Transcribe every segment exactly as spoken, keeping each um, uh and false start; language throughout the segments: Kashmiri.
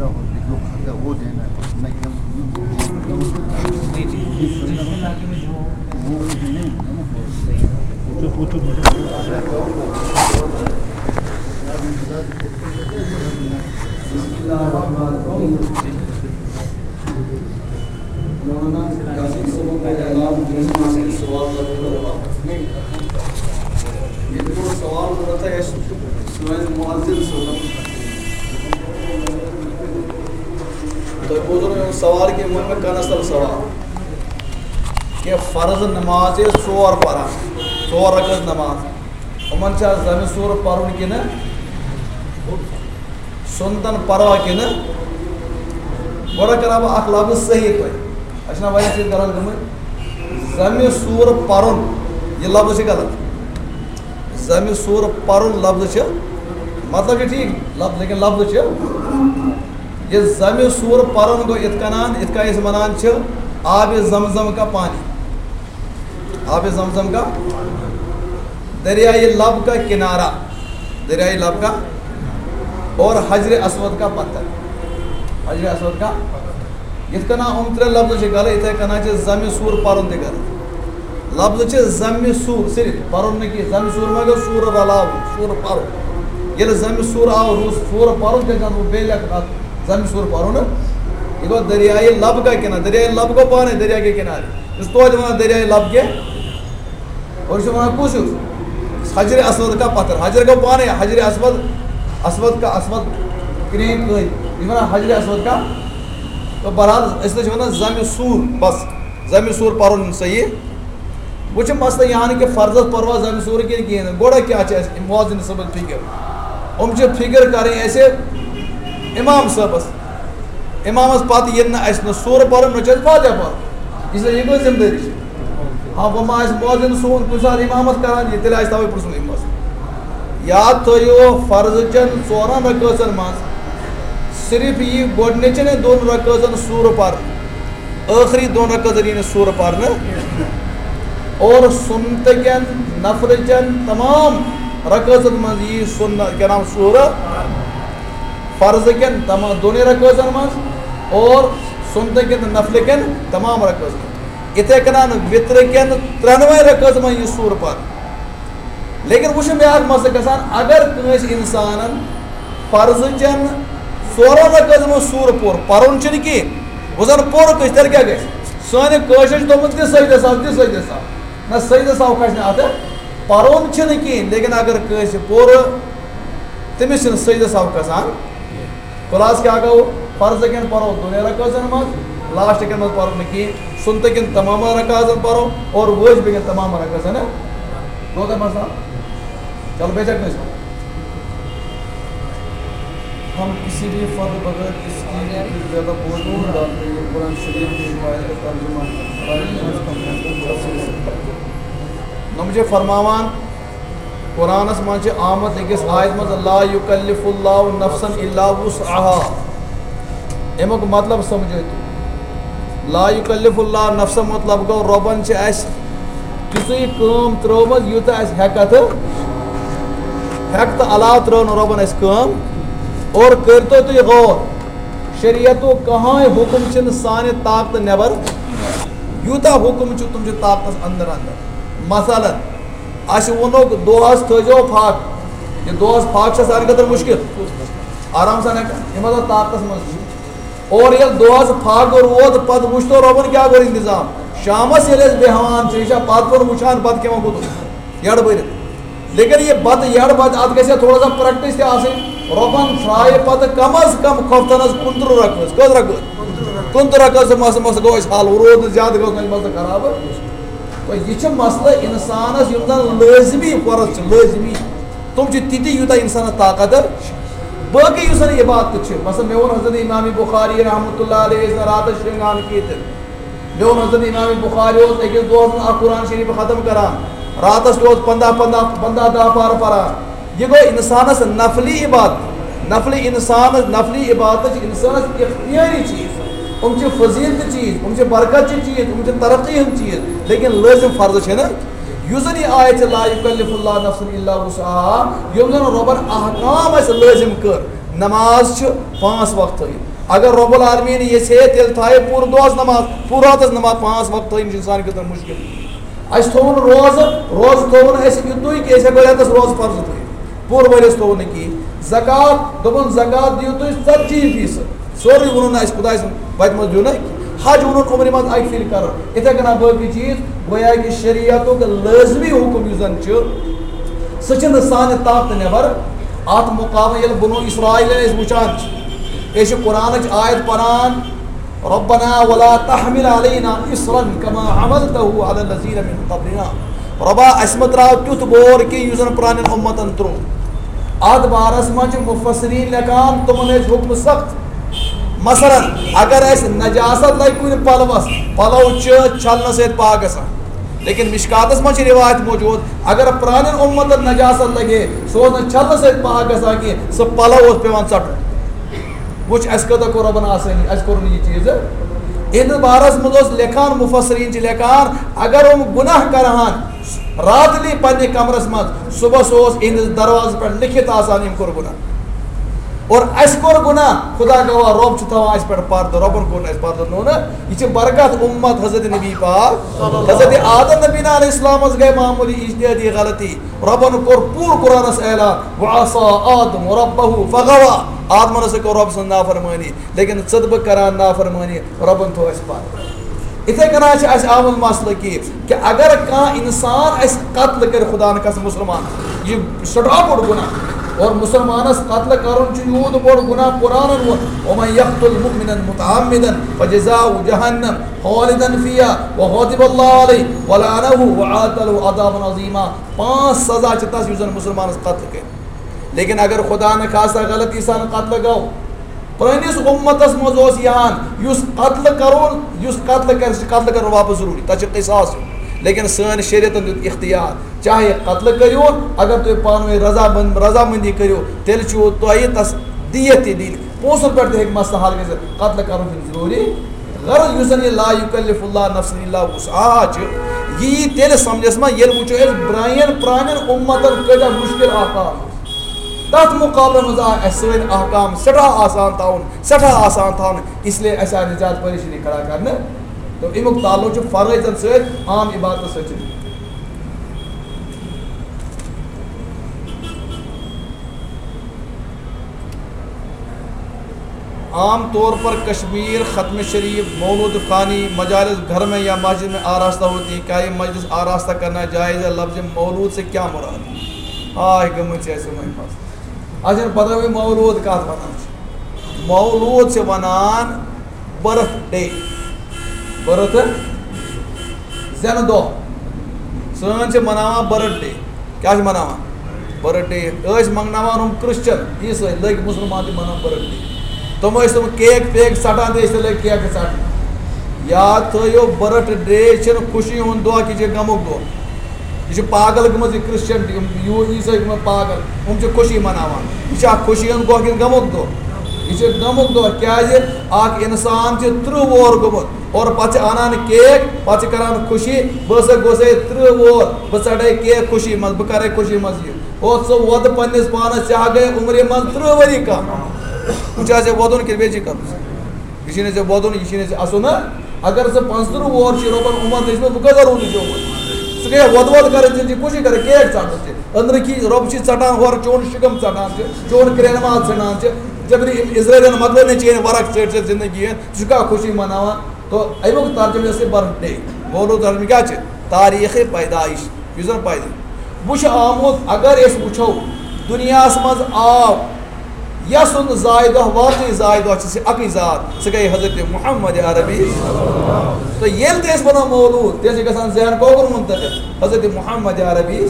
جو کھاتا ہے وہ دینا ہے، نہ کہ ہم بسم اللہ الرحمن الرحیم۔ مولانا یاسین صٲبُن اعلان، یِمن سوال کرو۔ ییٚتہِ کوٚر سوال کوٚر تۄہہِ اَسہِ سٲنۍ مُعزِز صٲبَن۔ تۄہہِ بوٗزُو نہٕ میون سوال کینٛہہ، وۄنۍ مےٚ کَنَس تَل سوال۔ کہِ فرض نماز چھِ أسۍ ژور پَران، ژور رکعت نماز۔ یِمَن چھا زَمہِ سوٗرٕ پَرُن کِنہٕ سُنتَن پَروا کِنہٕ؟ گۄڈٕ کَرٕ ہا بہٕ اَکھ لفظ صحیح تۄہہِ۔ اَسہِ چھِنہ واریاہ چیٖز غلط گٔمٕتۍ۔ زَمہِ سوٗرٕ پَرُن، یہِ لفظ چھِ غلط۔ زَمہِ سوٗرٕ پَرُن لفظ چھِ، مطلب چھِ ٹھیٖک لفظ، لیکن لفظ چھِ، یہِ زَمہِ سوٗرٕ پَرُن گوٚو یِتھ کَنان، یِتھ کَنۍ أسۍ وَنان چھِ آبِ زمزم کا پانی۔ آبِ زمزم کا، دریائے لب کا کنارہ، دریائے لب کا، اور حجر اسود کا پتھر، حجر اسود کا۔ یِتھ کٔنۍ یِم ترٛےٚ لفظ چھِ غلط، یِتھَے کٔنۍ چھِ زَمہِ سوٗر پَرُن تہِ غلط۔ لفظ چھِ زَمہِ سوٗر صرف، پَرُن نہٕ کینٛہہ۔ زَمہِ سوٗر ما گوٚو سوٗر رَلاوُن، سوٗر پَرُن۔ ییٚلہِ زَمہِ سوٗر آو، روٗز سوٗر پَرُن، تیٚلہِ چھِ اَتھ بہٕ بیٚیہِ لیکھان اَتھ زَمہِ سوٗر پَرُن۔ یہِ گوٚو دریائے لب کا کنارہ، دریائے لب گوٚو پانَے دریا کے کنارے۔ یُس توتہِ وَنان دریائے لب کے، اور چھِ وَنان کُس ہیوٗ؟ حجر اسود کا پتھر۔ حجر گوٚو پانَے، حجر اسود، اسود کا اسود، کرٛہِنۍ کٔنۍ۔ یہِ چھِ وَنان حجر اسود کا۔ تو بہرحال، أسۍ نہ چھِ وَنان زَمہِ سوٗر، بس، زَمہِ سوٗر پَرُن صحیح۔ وۄنۍ چھِ مسلہٕ یہِ ہن کہِ فرضس پَروا زَمہِ سوٗر کِنہٕ کِہیٖنۍ نہٕ۔ گۄڈٕ کیٛاہ چھِ اَسہِ مُعزِن صٲبَس فِکر؟ یِم چھِ فِکر کَرٕنۍ اَسہِ اِمام صٲبَس۔ اِمامَس پَتہٕ ییٚلہِ نہٕ اَسہِ نہٕ سورٕ پَرُن، نہ چھُ اَسہِ فاتحہ پَرُن۔ اس لیے یہِ گٔے ذِمہٕ دٲری چھِ۔ ہاں، وۄنۍ ما آسہِ مُعزِن سون کُنہِ ساتہٕ اِمامَس کَران، یہِ تیٚلہِ آسہِ تَوَے پرٛژھُن اَمہِ منٛز۔ یاد تھٲیِو، فرض چٮ۪ن ژورَن رکٲژَن منٛز صرف یی گۄڈٕنِچَن دۄن رکٲژَن سورٕ پَرنہٕ، ٲخری دۄن رکٲژَن یی نہٕ سورٕ پَرنہٕ۔ اور سُنتہٕ کٮ۪ن نفلہٕ چٮ۪ن تمام رکٲژَن منٛز یی سُنت، کیٛاہ نام، سورٕ۔ فرض کٮ۪ن تمام دۄنٕے رکٲژن منٛز اور سُنتہٕ کٮ۪ن تہٕ نفلہٕ کٮ۪ن تمام رکٲژن منٛز۔ یِتھَے کٔنۍ وِترٕ کٮ۪ن ترٛٮ۪نوَے رکٲژن منٛز یہِ سورٕ پَرنہٕ۔ لیکن وۄنۍ چھُ بیٛاکھ مسلہٕ گژھان، اگر کٲنٛسہِ اِنسانَن فرض چٮ۪ن ژورَن رکٲژن منٛز سورٕ پوٚر، پَرُن چھُنہٕ کینٛہہ، وۄنۍ زَن پوٚر کٲنٛسہِ، تیٚلہِ کیٛاہ گژھِ؟ سانہِ کٲشرِ چھِ دوٚپمُت، دِ سجدٕ سَو، دِ سجدٕ سَو۔ نہ، سجدٕ سَو کھسہِ نہٕ اَتھ، پَرُن چھُنہٕ کینٛہہ، لیکن اگر کٲنٛسہِ پوٚر، تٔمِس چھِنہٕ سجدٕ سَو کھسان۔ خلاص کیٛاہ گوٚو؟ فرض کٮ۪ن پَرو دۄنٕے رکٲژن منٛز، لاسٹ کٮ۪ن منٛز پَرو نہٕ کِہیٖنۍ، سُنتہٕ کٮ۪ن تمام رکاژن پَرو اور وٲجبہٕ کٮ۪ن تمام رکاژن۔ گوٚو تۄہہِ مسلہٕ؟ چلو، بیٚیہِ چھا کٲنٛسہِ؟ ہم کسی بھی فرد بغیر اس کی بھی زیادہ بوجھ نہیں ڈالتے، یہ قرآن شریف کی روایت کا ترجمہ ہے۔ نۄم چھِ فرماوان، قرآنس منٛز چھِ آمُت أکِس آیت منٛز، "لا یکلف اللہ نفسا الا وسعها"۔ اَمیُک مطلب سمجھو تُہۍ۔ لا یکلف اللہ نفسا مطلب گوٚو، رۄبن چھِ اَسہِ تِژٕے کٲم ترٲومٕژ، یوٗتاہ اَسہِ ہٮ۪کتھ، ہٮ۪کتھ علاوٕ ترٲو نہٕ رۄبن اَسہِ کٲم۔ اور کٔرۍتو تُہۍ غور، شریعتُک کٕہٕنۍ حُکم چھِنہٕ سانہِ طاقتہٕ نٮ۪بر۔ یوٗتاہ حُکم چھُ، تِم چھِ طاقتس اندر اندر۔ مثلاً، اَسہِ ووٚنُکھ، دۄہَس تھٲیزیو پھَکھ۔ یہِ دۄہَس پھَکھ چھےٚ سانہِ خٲطرٕ مُشکِل۔ آرام سان ہٮ۪کان، یہِ مطلب طاقتَس منٛز چھُ۔ اور ییٚلہِ دۄہَس پھَکھ روٗد، پَتہٕ وٕچھ تو رۄبَن کیٛاہ کوٚر اِنتظام۔ شامَس ییٚلہِ أسۍ بیٚہوان چھِ، یہِ چھا پَتہٕ کھیوٚن وٕچھان، بَتہٕ کھٮ۪وان کوٚتَتھ؟ یَڈٕ بٔرِتھ۔ لیکن یہِ بَتہٕ یَڈٕ بَتہٕ، اَتھ گژھِ ہا تھوڑا سا پرٛیکٹِس تہِ آسٕنۍ۔ رۄبَن تھرٛایہِ پَتہٕ کم از کم خۄفتَنَس کُنترٕہ رکٲژ۔ کٔژ رکٲژ؟ کُنترٕہ رکٲژ۔ مسلہٕ، مسلہٕ گوٚو اَسہِ حل، روٗد نہٕ زیادٕ، گوٚو نہٕ اَسہِ مسلہٕ خراب۔ تو یہِ چھِ مسلہٕ اِنسانَس، یِم زَن لٲزمی فرض چھِ، لٲزمی، تِم چھِ تِتی، یوٗتاہ اِنسانَس طاقت چھِ۔ باقٕے یُس زَن عبادت چھِ، مثلاً مےٚ ووٚن حضرت امام بخاری رحمتہ اللہ علیہ، یُس زَن راتَس شۄنٛگان کینٛہہ تہِ۔ مےٚ ووٚن حضرت امام بخاری اوس أکِس دۄہَس منٛز اَکھ قرآن شریٖف ختم کران، راتَس تہِ اوس پنٛداہ، پنٛداہ، پنٛداہ دَہ پارٕ پَران۔ یہِ گوٚو اِنسانَس نفلی عبادت۔ نفلی اِنسانَس، نفلی عبادت چھِ اِنسانَس اختیٲری چیٖز۔ یِم چھِ فضیلت چیٖز، یِم چھِ برکت چہِ چیٖز، یِم چھِ ترقی ہٕنٛدۍ چیٖز، لیکن لٲزم فرض چھِنہٕ۔ یُس زَن یہِ آیت چھِ، "لا یکلف اللہ نفسا الا وسعها"، یِم زَن رۄبَن احکام اَسہِ لٲزم کٔر، نماز چھِ پانٛژھ وقت تھٲیِتھ، اگر رب العالمین یژھِ ہے، تیٚلہِ تھایہِ پوٗرٕ دۄہس نماز، پوٗرٕ راتس نماز، پانٛژھ وقت تھٲیِن چھُ انسان خٲطرٕ مُشکل۔ اَسہِ تھوٚو نہٕ روزٕ، روزٕ تھوٚو نہٕ اَسہِ یِتُے کہِ أسۍ ہٮ۪کو رٮ۪تس روزٕ فرض تھٲیِتھ، پوٗرٕ ؤرِیَس تھوٚو نہٕ کِہیٖنۍ۔ زکوٰۃ، دوٚپُن زکوٰۃ دِیِو تُہۍ ژتجی فیٖصد، سورُے ووٚنُن نہٕ اَسہِ خۄداے سُنٛد وَتہِ منٛز دیُن۔ حج ووٚنُن عمرِ منٛز اَکہِ پھِرِ کَرُن۔ یِتھَے کٔنۍ باقٕے چیٖز، گویا کہِ شریعتُک لٲزمی حُکُم یُس زَن چھُ، سُہ چھُنہٕ سانہِ طاقتہٕ نٮ۪بر۔ اَتھ مُقابلہٕ ییٚلہِ بنو اسرائیل أسۍ وٕچھان چھِ، أسۍ چھِ قرآنٕچ آیت پران، "ربنا ولا تحمل علينا إصرا كما حملته على الذين من قبلنا۔" رۄبا، اَسہِ مہ ترٛاو تیُتھ بور کینٛہہ یُس زَن پرٛانٮ۪ن اُمتَن ترٛوو۔ اَتھ بارَس منٛز چھِ مُفسریٖن لیکھان، تِمَن ٲسۍ حُکمہٕ سخت۔ مثلاً، اگر اَسہِ نجاست لَگہِ کُنہِ پَلوَس، پَلَو چھِ چھَلنہٕ سۭتۍ پاک گژھان۔ لیکن مشکاتَس منٛز چھِ رِوایت موجود، اگر پرٛانٮ۪ن اُمتَن نجاست لَگہِ ہے، سُہ اوس نہٕ چھَلنہٕ سۭتۍ پاک گژھان کینٛہہ، سُہ پَلَو اوس پٮ۪وان ژَٹُن۔ وٕچھ، اَسہِ کۭژاہ کوٚر رۄبَن آسٲنی، اَسہِ کوٚر نہٕ یہِ چیٖز۔ یِہِنٛدِس بارَس منٛز اوس لیکھان، مُفسریٖن چھِ لیکھان، اگر یِم گُناہ کَرٕہَن راتلی پنٛنہِ کَمرَس منٛز، صُبحَس اوس یِہِنٛدِس دروازَس پٮ۪ٹھ لیکھِتھ آسان، یِم کوٚر گُناہ۔ اور اَسہِ کوٚر گُناہ، خدا گواہ، رۄب چھُ تھاوان اَسہِ پٮ۪ٹھ پَردٕ، رۄبَن کوٚر نہٕ اَسہِ پَردٕ، نوٚو نہٕ۔ یہِ چھِ برکت اُمت حضرت نبی پاک۔ حضرت آدم نبی علیہ السلامَس گٔے معموٗلی اجتہادی غلطی، رۄبَن کوٚر پوٗرٕ قرآنَس اعلان، "وعصى آدم ربه فغوى"۔ آدمَن ہسا کٔر رۄب سٕنٛز نافرمٲنی، لیکن ژٕ تہٕ بہٕ کران نافرمٲنی، رۄبَن تھوٚو اَسہِ پَتھ۔ یِتھَے کٔنۍ چھِ اَسہِ آمُت مسلہٕ کہِ، کہِ اگر کانٛہہ اِنسان اَسہِ قتل کَرِ، خدا نہ کھاستہٕ مُسلمان، یہِ چھُ سٮ۪ٹھاہ بوٚڑ گُناہ۔ اور مُسلمانَس قتل کَرُن چھُ یوٗت بوٚڑ گُناہ، قرآنَن ووٚن، "ومن يقتل مؤمنا متعمدا فجزاؤه جهنم خالدا فيها وغضب الله عليه ولعنه وأعد له عذابا عظيما"۔ پانٛژھ سزا چھِ تَس، یُس زَن مُسلمانَس قتل کَرِ۔ لیکن اگر خدا نہ خاصہ غلطی سان قتل گوٚو، پرٲنِس اُمتَس منٛز اوس یہِ ہان، یُس قتل کَرون، یُس قتل کَرِ، سُہ چھُ قتل کَرُن واپَس ضروٗری، تَتھ چھُ قصاص ہیوٚن۔ لیکن سٲنۍ شریعتَن دیُت اختیار، چاہے قتل کٔرِو، اگر تُہۍ پانہٕ ؤنۍ رضامند-، رضامندی کٔرِو، تیٚلہِ چھُو تۄہہِ تَس دیت تہِ دِنۍ۔ پونٛسَن پٮ۪ٹھ تہِ ہیٚکہِ مسلہٕ حل گٔژھِتھ، قتل کَرُن چھُنہٕ ضروٗری۔ غرض یُس زَن یہِ لا یکلف اللہ نفسا الا وسعها چھُ، یہِ یی تیٚلہِ سمجھس منٛز، ییٚلہِ وٕچھو أسۍ برٛایَن پرٛانٮ۪ن اُمتَن کۭتیٛاہ مُشکل احکام ٲسۍ۔ تَتھ مُقابلَس منٛز آے اَسہِ سٲنۍ احکام سٮ۪ٹھاہ آسان تھاوُن، سٮ۪ٹھاہ آسان تھاونہٕ، اس لیے اَسہِ آے نہٕ زیادٕ پریشٲنی کھڑا کرنہٕ۔ تو اَمیُک تعلق چھُ فرٲیضَن سۭتۍ، عام عبادتَس سۭتۍ چھُنہٕ۔ عام طور پر کشمیر، ختم شریف، مولود خوانی، مجالس گھر میں یا مسجد میں آراستہ ہوتی ہیں، کیا یہ مجلس آراستہ کرنا جائز ہے؟ لفظ مولود سے کیا مراد ہے؟ آہ، گٔمٕتۍ چھِ اَسہِ یِمَے مسلہٕ۔ اَسہِ چھَنہٕ پتہ وۄنۍ مولود کَتھ وَنان چھِ۔ مولود چھِ وَنان birth day۔ Birth، زٮ۪نہٕ دۄہ۔ سٲنۍ چھِ مناوان birth day۔ کیٛاہ چھِ مناوان؟ Birth day۔ ٲسۍ منٛگناوان ہُم Christian، عیٖسٲے، لٔگۍ مُسلمان تہِ مناوان birth day۔ تِم ٲسۍ تِم cake پیک ژَٹان تہٕ أسۍ تہِ لٔگۍ cake ژَٹنہِ۔ یاد تھٲیِو، birth day چھِنہٕ خوشی ہُنٛد دۄہ کینٛہہ، یہِ چھِ غمُک دۄہ۔ یہِ چھِ پاگل گٔمٕژ یہِ Christian، یِم یوٗ-، عیٖسٲے گٔمٕتۍ پاگل۔ یِم چھِ خوشی مناوان۔ یہِ چھا خوشی ہُنٛد دۄہ کِنہٕ غمُک دۄہ؟ یہِ چھِ غمُک دۄہ۔ کیٛازِ؟ اَکھ اِنسان چھِ تٕرٛہ وُہُر گوٚمُت اور پَتہٕ چھِ اَنان cake، پَتہٕ چھِ کَران خوشی، "بہٕ ہسا گوٚژھے تٕرٛہ وُہُر، بہٕ ژَٹے cake خوشی منٛز، بہٕ کَرے خوشی منٛز یہِ۔" او، ژٕ وۄدٕ پنٛنِس پانَس، ژےٚ ہا گٔے عُمرِ منٛز تٕرٛہ ؤری کَم۔ وۄنۍ چھِ ژےٚ وۄدُن کِنہٕ بیٚیہِ چھِ کَم؟ یہِ چھُے نہٕ ژےٚ وۄدُن، یہِ چھُے نہٕ ژےٚ اَسُن، ہا؟ اگر ژٕ پانٛژترٕٛہ وُہُر چھُے، رۄبَن عُمر دِژمٕژ، بہٕ کۭژاہ روٗدُے زیوٗٹھ؟ ژٕ گٔیے وۄدٕ وۄدٕ کَران، ژےٚ چھِ خوشی کَران، cake ژَٹُن چھِ۔ أنٛدرٕ کی رۄب چھُے ژَٹان، ہورٕ چون شِکَم ژَٹان چھِ، چون کرٛینہٕ ماز ژھٕنان چھِ۔ جبری یِم اِسرٲیلَن مۄکلٲے نہٕ چٲنۍ ورق ژٔٹۍ ژےٚ زِندگی ہٕنٛز، ژٕ چھُکھا خوشی مَناوان؟ تو اَمیُک ترجمہٕ یۄس یہِ birth day، مولوٗد ترجمہٕ کیٛاہ چھِ؟ تاریٖخِ پیدائش، یُس زَن پیدٲیِش۔ وۄنۍ چھُ آمُت، اگر أسۍ وٕچھو، دُنیاہَس منٛز آو یَس سُنٛد زایہِ دۄہ، واقعی زایہِ دۄہ چھِ سُہ اَکٕے ذات، سُہ گٔے حضرت محمد عربی۔ تہٕ ییٚلہِ تہِ أسۍ وَنو مولوٗد، تیٚلہِ چھِ گژھان ذہن کۄکُر منتقل، حضرت محمد عربی۔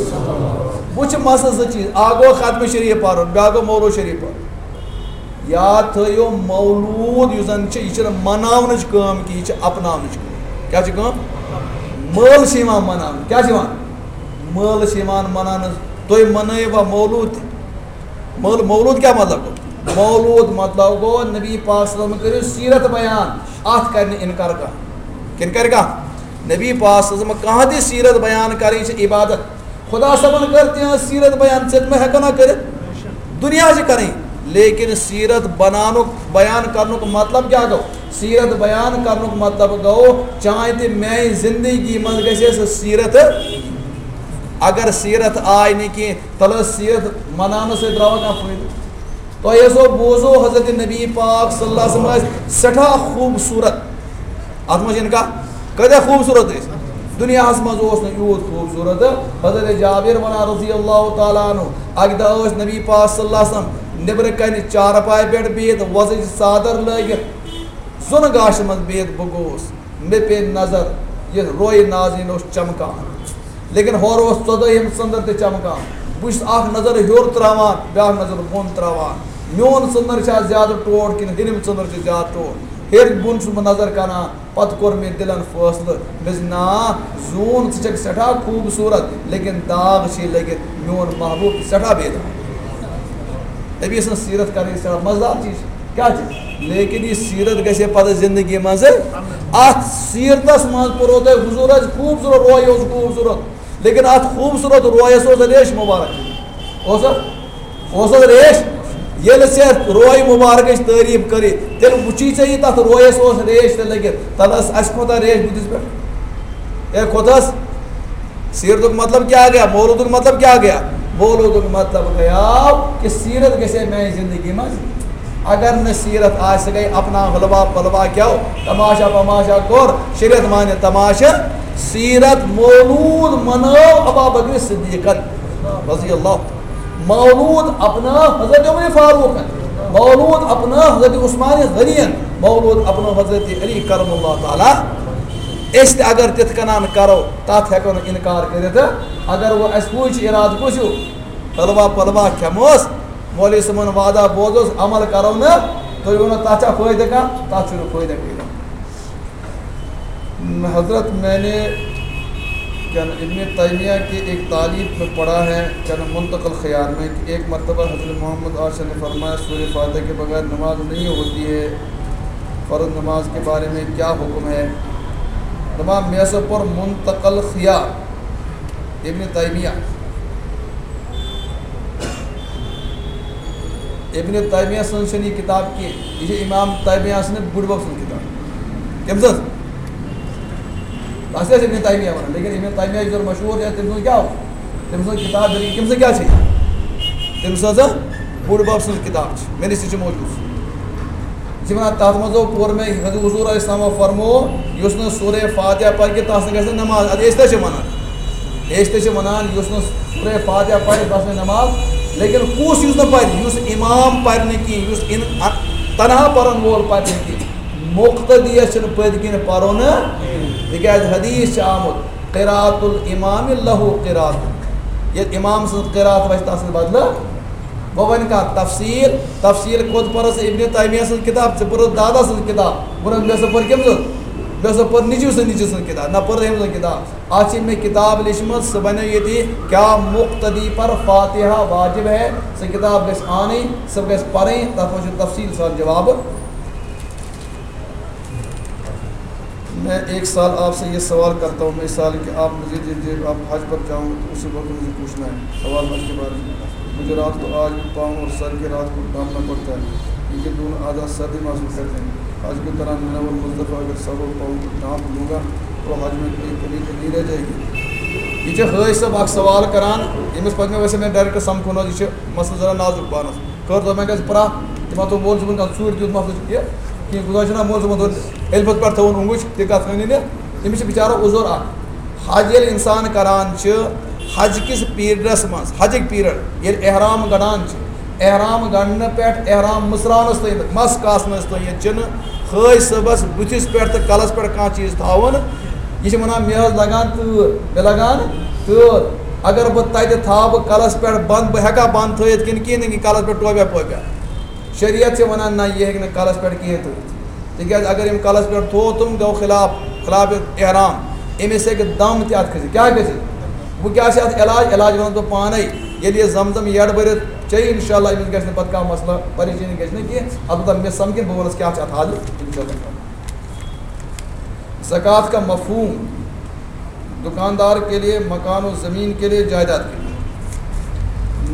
وۄنۍ چھِ مسلہٕ زٕ چیٖز، اَکھ گوٚو ختمِ شریٖف پَرُن، بیٛاکھ گوٚو مولوٗد شریٖف پَرُن۔ یاد تھٲیِو، مولوٗد یُس زَن چھِ، یہِ چھِنہٕ مَناونٕچ کٲم کینٛہہ، یہِ چھِ اَپناونٕچ کٲم۔ کیٛاہ چھِ کٲم؟ مٲلہٕ چھِ یِوان مَناونہٕ۔ کیٛاہ چھِ یِوان؟ مٲلہٕ چھِ یِوان مَناونہٕ۔ تُہۍ مَنٲیوا مولوٗد تہِ؟ مٲلہٕ، مولوٗد کیٛاہ مطلب گوٚو؟ مولوٗد مطلب گوٚو، نبی پاک صلی اللہ علیہ وسلم کٔرِو سیٖرت بیان، اَتھ کَرِ نہٕ اِنکار کانٛہہ۔ کِنہٕ کَرِ کانٛہہ؟ نبی پاک صلی اللہ علیہ وسلم کانٛہہ تہِ سیٖرت بیان کَرٕنۍ چھِ عبادت۔ خدا صٲبن کٔر تِہنٛز سیٖرت بیان، ژےٚ تہِ ما ہٮ۪کو نا کٔرِتھ؟ دُنیا چھِ کَرٕنۍ۔ لیکن سیرت بنانُک، بیان کرنُک مطلب کیٛاہ گوٚو؟ سیرت بیان کرنُک مطلب گوٚو، چانہِ تہِ میانہِ زندگی منٛز گژھِ سۄ سیرت۔ اگر سیرت آے نہٕ کینٛہہ، تیٚلہِ ٲس سیرت مناونہٕ سۭتۍ درٛاوا کانٛہہ فٲیدٕ؟ تۄہہِ ٲسو بوٗزو، حضرت نبی پاک صلی اللہ علیہ وسلم ٲسۍ سٮ۪ٹھاہ خوٗبصوٗرت۔ اَتھ منٛز چھِ اِنکار۔ کۭتیٛاہ خوٗبصوٗرت ٲسۍ؟ دُنیاہَس منٛز اوس نہٕ یوٗت خوٗبصوٗرت۔ حضرت جابر وَنان رضی اللہ تعالیٰ عنہ، اَکہِ دۄہ ٲسۍ نبی پاک صلی اللہ علیہ وسلم نیٚبرٕ کَنہِ چارپایہِ پٮ۪ٹھ بِہِتھ، وۄزٕج ژادر لٲگِتھ، زوٚن گاشہِ منٛز بِہِتھ بہٕ گوٚوُس۔ مےٚ پیٚیہِ نظر، یہِ روے نازنیٖن اوس چمکان۔ لیکن ہورٕ اوس ژۄدٲہِم ژٔنٛدٕر تہِ چمکان۔ بہٕ چھُس اکھ نظر ہیوٚر تراوان، بیاکھ نظر بۄن تراوان۔ میون ژٔنٛدٕر چھا زیادٕ ٹوٹھ کِنہٕ ہیٚرِم ژٔنٛدٕر چھِ زیادٕ ٹوٹھ؟ ہیٚرِ بۄن چھُس بہٕ نظر کران۔ پتہٕ کوٚر مےٚ دِلن فٲصلہٕ، مےٚ دوٚپ، نا، زوٗن، ژٕ چھکھ سٮ۪ٹھاہ خوٗبصوٗرت، لیکن داغ چھِ لٔگِتھ، میون محبوب چھُ سٮ۪ٹھاہ بے داغ۔ نبی سٕنٛز سیرت کرٕنۍ سٮ۪ٹھاہ مزٕدار چیٖز چھِ۔ کیٛاہ چھِ؟ لیکن یہِ سیرت گژھِ ہے پتہٕ زندگی منٛز۔ اتھ سیرتس منٛز پوٚرو تۄہہِ حضوٗرس خوٗبصوٗرت، روے اوس خوٗبصوٗرت، لیکن اتھ خوٗبصوٗرت رویس اوس ریش مبارک۔ اوس اَتھ؟ اوس اَتھ ریش؟ ییٚلہِ ژےٚ روے مبارکٕچ تعریٖف کٔرٕے، تیٚلہِ وٕچھی ژےٚ یہِ تتھ رویس اوس ریش تہِ لٔگِتھ، تتھ ٲس اَسہِ کھۄتہٕ ریش بُتھِس پٮ۪ٹھ۔ اے کھۄتس، سیرتُک مطلب کیٛاہ گیا؟ مولوٗدُک مطلب کیٛاہ گیا؟ مولوٗدُک مطلب گیا کہِ سیرت گژھِ ہے میانہِ زندگی منٛز۔ اگر نہٕ سیرت آسہِ، سُہ گٔے اپنا حلوا پلوا کیو، تماشا پماشا کوٚر، شریعت مانہِ تماشہٕ۔ سیرت مولوٗد منٲو ابا بکر صدیقن رضی اللہ، مولوٗد اپنا حضرت عمر فاروقن، مولوٗد اپنا حضرت عثمان غنین، مولوٗد اپنا حضرت علی کرم اللہ تعالیٰ۔ أسۍ تہِ اگر تِتھ کٔنۍ کرو، تتھ ہٮ۪کو نہٕ انکار کٔرِتھ۔ اگر وۄنۍ اَسہِ ہُہ چھُ ارادٕ کُس ہیوٗ؟ حلوا پلوا کھٮ۪موس، مولوی صٲبُن وعدہ بوزوس، عمل کرو نہٕ، تُہۍ ؤنِو تَتھ چھا فٲیدٕ کانٛہہ؟ تَتھ چھُنہٕ فٲیدٕ کانٛہہ۔ حضرت، میں نے کیا ابن تیمیہ کے ایک تالیف میں پڑھا ہے، کیا منتقل خیار میں، کہ ایک مرتبہ حضرت محمد آشا نے فرمایا، سورہ فاتحہ کے بغیر نماز نہیں ہوتی ہے، فرض نماز کے بارے میں کیا حکم ہے؟ دپان مےٚ ہسا پوٚر منتقل خیار ابن تیمیہ۔ ابن تیمیہ سٕنٛز چھَنہٕ یہِ کِتاب کینٛہہ، یہِ چھِ امام تیمیہ سٕنٛدِ بٕڈبب سٕنٛز کِتاب۔ کٔمۍ سٕنٛز؟ تَتھ چھِ أسۍ ابن تیمیہ وَنان، لیکن ابن تیمیہ یُس زَن مشہوٗر چھِ، تٔمۍ سٕنٛز کیٛاہ اوس؟ تٔمۍ سٕنٛز کِتاب، بلکہِ کٔمۍ سٕنٛز کیٛاہ چھِ؟ تٔمۍ سٕنٛز بٕڈبب سٕنٛز کِتاب چھِ، مےٚ نِش تہِ چھِ موجوٗد۔ یہِ چھِ وَنان، تَتھ منٛز اوس پوٚر مےٚ، حضور، حضور علیہ السلام فرمو، یُس نہٕ سورہ فاتحہ پَرِ کینٛہہ، تَس نہٕ گژھِ نہٕ نماز۔ اَدٕ أسۍ تہِ چھِ وَنان، أسۍ تہِ چھِ وَنان، یُس نہٕ سورہ فاتحہ پَرِ، تَس نہٕ نماز۔ لیکن کُس یُس نہٕ پَرِ؟ یُس اِمام پَرِ نہٕ کِہیٖنۍ، یُس اِن-، اَ-، تنہا پَرَن وول پَرِ نہٕ کِہیٖنۍ، مُقتدیَس چھُنہٕ پٔتۍ کِنۍ پَرُن، تِکیٛازِ حدیث چھِ آمُت، قراءۃ الامام لہو قراءۃ۔ ییٚلہِ اِمام سٕنٛز قراءت وَسہِ، تَس سۭتۍ بدلہٕ۔ وۄنۍ وۄنۍ کَر تفصیٖل؟ تفصیٖل کوٚت پٔرٕس؟ ابن تیمیہ سٕنٛز کِتاب، ژےٚ پٔرٕس دادا سٕنٛز کِتاب۔ ووٚنُن، مےٚ سا پٔر کٔمۍ سٕنٛز؟ مےٚ سا پٔر نیٚچوٗ سٕنٛز نیٚچوٗ سٕنٛز کِتاب، نہ پٔر أمۍ سٕنٛز کِتاب۔ اَتھ چھِ مےٚ کِتاب لیٚچھمٕژ، سُہ بَنیو ییٚتی، کیا مُقتدی پر فاتحہ واجب ہے؟ سۄ کِتاب گژھِ اَنٕنۍ، سۄ گژھِ پَرٕنۍ، تَتھ منٛز چھُ تفصیٖل سان جواب۔ میں ایک سال آپ سے یہ سوال کرتا ہوں، مثال کہ آپ مجھے دے دیں، آپ حج پر جاؤں تو اسی وقت مجھے پوچھنا ہے سوال حج کے بارے میں۔ مجھے رات کو آج بھی پاؤں اور سر کے رات کو ڈھانپنا پڑتا ہے، کیونکہ دونوں اعضاء سردی محسوس کرتے ہیں۔ حج کے دوران منی اور مزدلفہ اگر سر اور پاؤں کو ڈھانپ لوں گا تو حج میں کوئی کمی تو نہیں رہ جائے گی؟ یہِ چھِ حٲج صٲب اکھ سوال کران، ییٚمِس پتہٕ مےٚ ویسے مےٚ ڈائریکٹ سمکھُن حظ، یہِ چھُ مسلہٕ ذرا نازُک پانس۔ کٔر دۄپمَے گژھِ پرٛاہ، تِمَن تھوٚو مول صٲبُن کانٛہہ ژوٗرِ دیُت مَسلہٕ چھُ یہِ کینٛہہ، گُزٲرِش چھِنہ مول صٲبَن تھوٚو علفَت پٮ۪ٹھ تھٲوٕن اوٚنٛگُج، تہِ کَتھ ؤنِو نہٕ۔ أمِس چھِ بِچارَس عُذر اَکھ۔ حج ییٚلہِ اِنسان کَران چھِ، حج کِس پیٖریڈَس منٛز، حجٕکۍ پیٖریڈ، ییٚلہِ احرام گَنٛڈان چھِ، احرام گَنٛڈنہٕ پٮ۪ٹھ احرام مٕژراونَس تام، مَس کاسنَس تام چھِنہٕ حٲج صٲبَس بٕتھِس پٮ۪ٹھ تہٕ کَلَس پٮ۪ٹھ کانٛہہ چیٖز تھاوُن۔ یہِ چھِ وَنان، مےٚ حظ لَگان تۭر، مےٚ لَگان تۭر۔ اگر بہٕ تَتہِ تھاوٕ بہٕ کَلَس پٮ۪ٹھ بنٛد، بہٕ ہٮ۪کا بنٛد تھٲیِتھ کِنہٕ کِہیٖنۍ نہٕ، کِنہٕ کَلَس پٮ۪ٹھ ٹوپیا پوپیا؟ شریعت چھِ وَنان، نہ، یہِ ہیٚکہِ نہٕ کَلَس پٮ۪ٹھ کِہیٖنۍ تھٲیِتھ۔ تِکیٛازِ اگر أمۍ کَلَس پٮ۪ٹھ تھوو، تِم گوٚو خلاف، خلاف احرام۔ أمِس ہیٚکہِ دم تہِ اَتھ کھٔسِتھ۔ کیٛاہ گژھِ؟ وۄنۍ کیٛاہ چھِ اَتھ علاج؟ علاج وَنَس بہٕ پانَے۔ ییٚلہِ یہِ زم زم یَڈ بٔرِتھ چیٚیہِ، اِنشاء اللہ أمِس گژھِ نہٕ پَتہٕ کانٛہہ مسلہٕ، پریشٲنی گژھِ نہٕ کینٛہہ۔ البتہ مےٚ سَمکھِ، بہٕ وَنَس کیٛاہ چھِ اَتھ حالہِ، اِنشاء اللہ۔ زکوٰۃ کا مفہوم، دکاندار کے لیے، مکان و زمین کے لیے، جائیداد کے لیے۔